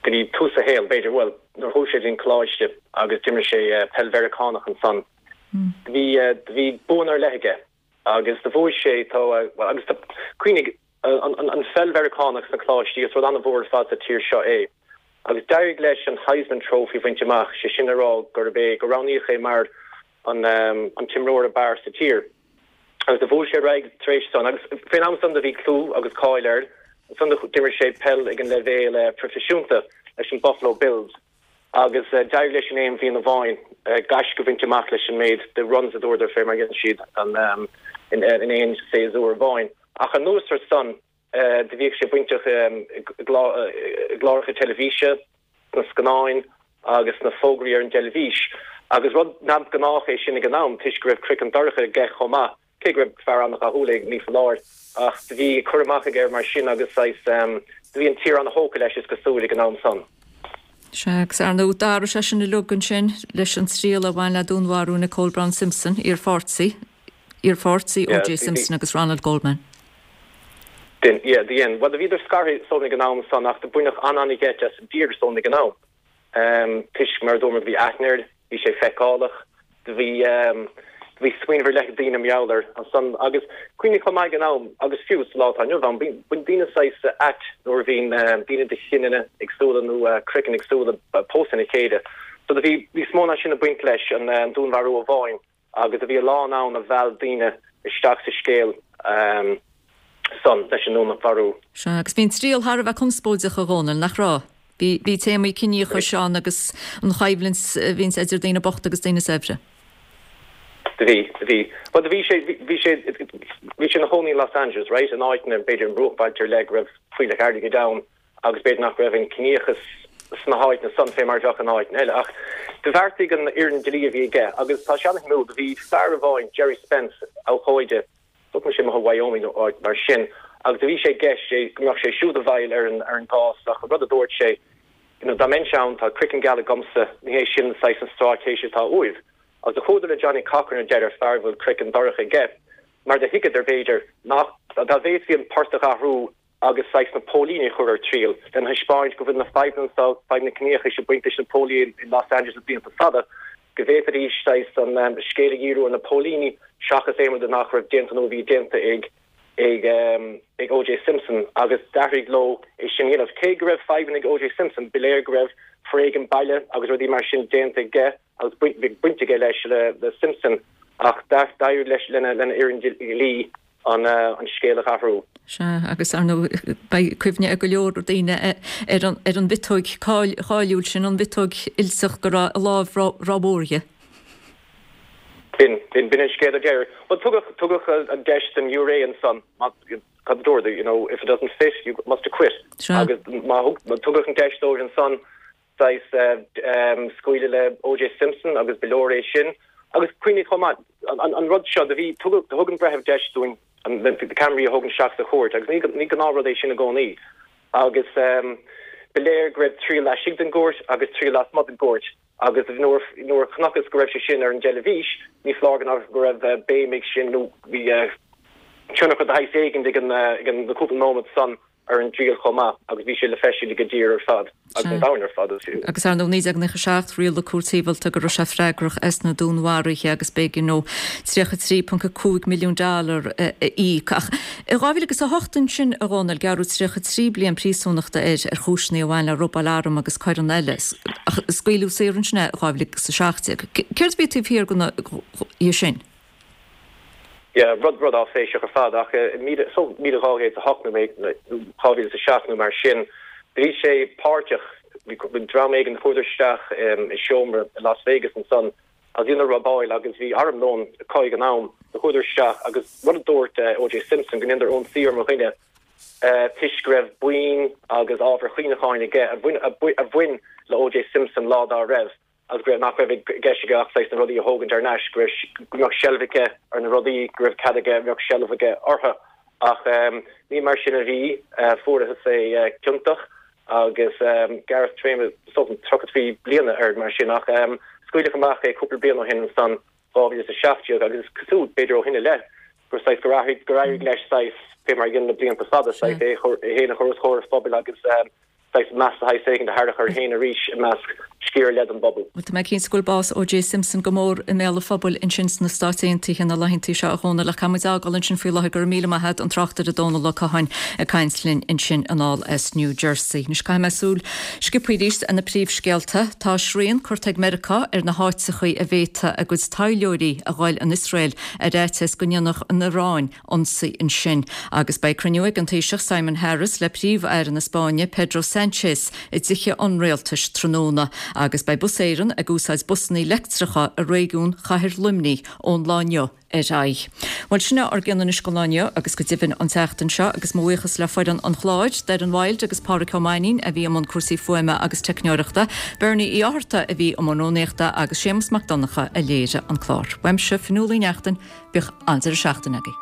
go dtí tús a shaoil, b'fhéidir, bhuel, nuair a chuaigh sé go dtí an coláiste agus d'imir sé peil Mheiriceánach ansan, do bhí, do bhí buanna ar leith aige agus do bhuaigh sé, tá, bhuel, agus cuimhnigh, an pheil Mheiriceánach sna coláistí, is rud an-mhór ar fad sa tír seo é. Agus d'éirigh leis an Heisman Trophy a bhaint amach, sé sin le rá gurb é, go roghnaíodh é mar an an t-imreoir ab fhearr sa tír. Agus do bhuaigh sé ar aghaidh tar éis san. Agus fén am san do bhí clú agus cáil air. Ansan d'imir sé peil ag an leibhéal proifisiúnta leis an Buffalo Bills. Agus d'éirigh leis in aon bhliain amháin gaisce a bhaint amach leis an méid de runs a dúradar fé mar a dhein siad in aon séasúr amháin. Ach anuas ar san do bhíodh sé bainteach i gcláracha teilifíse, sna scannáin agus sna fógraí ar an dteilifís. Agus rud neamhghnách é sin ag an am toisc go raibh craiceann dorcha aige chomh maith. Cé go raibh fear an-dhathúil é, ní foláir, ach do bhí cur amach aige air mar sin agus saghas, do bhí an tír an-thógtha leis is cosúil ag an am san. Sea, agus ar ndóigh d'athraigh sé sin uilig ansin leis an triail a bhain le dúnmharú Nicole Brown Simpson, iarpháirtí, iarpháirtí O.J. Simpson agus Ronald Goldman. Dhein, yeah, dhein. Bhuel, do bhíodar scartha is dóigh ag an am san ach do baineadh an-an-gheit as Deirdre is dóigh ag an am. Toisc, mar a dúramar, do bhí aithne air, bhí sé feiceálach, do bhí, do bhí smaoineamh ar leith ag daoine mar gheall air ansan. Agus cuimhnigh chomh maith ag an am, agus fiú sa lá atá inniu ann, bíonn, bíonn daoine saghas ait nuair a bhíonn daoine de chineanna éagsúla nó craiceann éagsúla ag pósadh lena chéile. So do bhí níos mó ná sin ag baint leis an dúnmharú amháin. Agus do bhí a lán ann a mheall daoine isteach sa scéal san leis an ndúnmharú. Sea, agus bhí an triail thar a bheith conspóideach, a Dhónaill, nach raibh? Bhí, bhí téamaí ciníochais ann agus an choimhlint a bhíonns idir daoine bochta agus daoine saibhre. Do bhí, do bhí. Bhuel, do bhí sé, bhí sé, bhí sé ina chónaí in Los Angeles, right, in áiteanna, b'fhéidir i mbruachbhailte ar leith go raibh fuílleach airgid ann. agus b'fhéidir nach raibh an ciníochas sna háiteanna san fé mar a bheadh in áiteanna eile. Ach do bheartaigh an fhoireann dlí a bhí aige, agus tá sé an-shuimiúil, do bhí fear amháin, Gerry Spence, abhcóide, tugann sé amuigh i Wyoming nó áit mar sin, agus do bhí sé i gceist é go mbeadh sé siúd i bhfeighil ar an ar an gcás, ach an rud a dúirt sé, you know, dá mbeinnse ann, tá craiceann geal agamsa, ní hé sin saghas an stráitéis atá uaibh. Agus do chuadar le Johnnie Cochran ar deireadh, fear a bhfuil craiceann dorcha aige, mar do thuigeadar, b'fhéidir, nach, dá bhféadfaí an port a athrú, agus saghas na póilíní a chur ar triail, lena thaispeáint go bhfuil na fadhbanna seo, fadhb na ciníochais ag baint leis na póilíní in Los Angeles le blianta fada, go bhféadfaidís saghas an scéal a dhíriú ar na póilíní seachas aon rud nach raibh déanta nó a bhí déanta ag ag ag O.J. Simpson agus d'éirigh leo é sin a dhéanamh. Cé go raibh fadhbanna ag O.J. Simpson, ba léir go raibh foréigean baile agus rudaí mar sin déanta aige agus bhí baint aige leis le Simpson ach d'éirigh leis lena lena fhoireann dlí an scéal a athrú. Sea, agus ar ndóigh beidh cuimhne ag go leor daoine ar an ar an mhiotóig cháiliúil sin, an mhiotóg fhuilteach go raibh a lámh rómhór dhi. B'in, b'in, b'in an scéal ar deireadh. Bhuel, tugadh, tugadh an deis don ghiúiré ansan, má, cad a dúradar, you know, if it doesn't fit, you must acquit. Sea. Agus má thug, má tugadh an deis dóibh ansan, saghas scaoileadh le O.J. Simpson agus ba leor é sin. Agus cuimhnigh chomh maith, an rud seo, do bhí, tugadh, thug an breitheamh deis dúinn na ceamaraí a thógaint isteach sa chúirt agus ní, ní gnáthrud é sin i gcónaí. Agus ba léir go raibh triail laistigh den gcúirt agus triail lasmuigh den gcúirt agus nuair, nuair a chonacthas go raibh sé sin ar an dteilifís, ní foláir go, go raibh béim ag sin nó bhí tionchar de shaghas éigin ag an, ag an, na cúpla nóiméad san. ar an dtriail chomh maith agus bhí sé le feiscint ag an dtír ar fad agus an domhan ar fad fiú. Agus ar ndóigh 1997 rialaigh cúirt shibhialta go raibh sé freagrach as na dúnmharuithe agus b'éigean dó 33.5 milliún dollar a íoc. Ach i 2008 ansin a Dhónaill, gearradh 33 bliain príosúnachta air ar chúiseanna a bhain le robáil arm agus coireanna eile. Ach scaoileadh saor ansin é i 2017. Céard a bhí taobh thiar de sin? Yeah, rud, rud áiféiseach ar fad ach i míle, so 1208 nó 2007 nó mar sin, bhí sé páirteach, bhí dream éigin, chuadar isteach i seomra i Las Vegas ansan agus dheineadar robáil agus bhí armlón acu ag an am, do chuadar isteach agus rud a dúirt O.J. Simpson go ndeineadar ionsaí ar mo dhuine toisc go raibh boinn agus ábhair chuimhneacháin aige a bhain, a bhain le O.J. Simpson lá dá raibh. agus go raibh, nach raibh i gceist aige ach saghas na rudaí a thógaint ar ais, go raibh, go mbeadh seilbh aige ar na rudaí, go raibh cead aige, mbeadh seilbh aige orthu. Ach ní mar sin a bhí, fuarathas é ciontach agus gearradh téarma, is dócha, 33 bliana air mar sin. Ach scaoileadh amach é cúpla bliain ó shin ansan, 2017, agus is cosúil, b'fhéidir ó shin i leith, gur saghas, gur athraigh, gur éirigh leis saghas, fé mar a dhein le blianta fada, saghas é féin a chur os comhair an phobail agus. saghas meas de shaghas éigin a tharrac air féin arís i measc sciar ar leith den bpobal. Bhuel, tá mé cinnte go bhfuil bás O.J. Simpson go mór i mbéal an phobail ansin sna Stáit Aontaithe na laethanta seo, a Dhónaill, ach caithfidh muid a fhágáil ansin faoi láthair. Go raibh míle maith a't, an tráchtaire Dónal Ó Catháin ag caint linn ansin anall as New Jersey. Anois caithfidh mé súil sciobtha arís ar na príomhscéalta. Tá srian curtha ag Meiriceá ar na háiteachaí a bhféadfadh a gcuid taidhleoirí a ghoil an Iosrael ar fhaitíos go ndéanfadh an Iaráin ionsaí ansin. Agus beidh cruinniú ag an Taoiseach Simon Harris le Príomh-Aire na Spáinne Pedro Sanchez i dTithe an Rialtais tráthnóna. Agus beidh Bus Éireann ag úsáid busanna leictreacha i réigiún Chathair Luimnigh ón lá inniu ar aghaidh. Bhuel, sin é ár gcion anois don lá inniu agus go deimhin an tseachtain seo agus mo bhuíochas le foireann an chláir, Doireann Wilde agus Pádhraic Ó Mainnín a bhí i mbun cúrsaí fuaime agus teicneoireachta, Bernie Uí Fhátharta a bhí i mbun rúnaíochta agus Séamus Mac Donncha a léirigh an clár. Uaimse, Fionnuala Uí Neachtain, Bíodh an-deireadh seachtaine agaibh.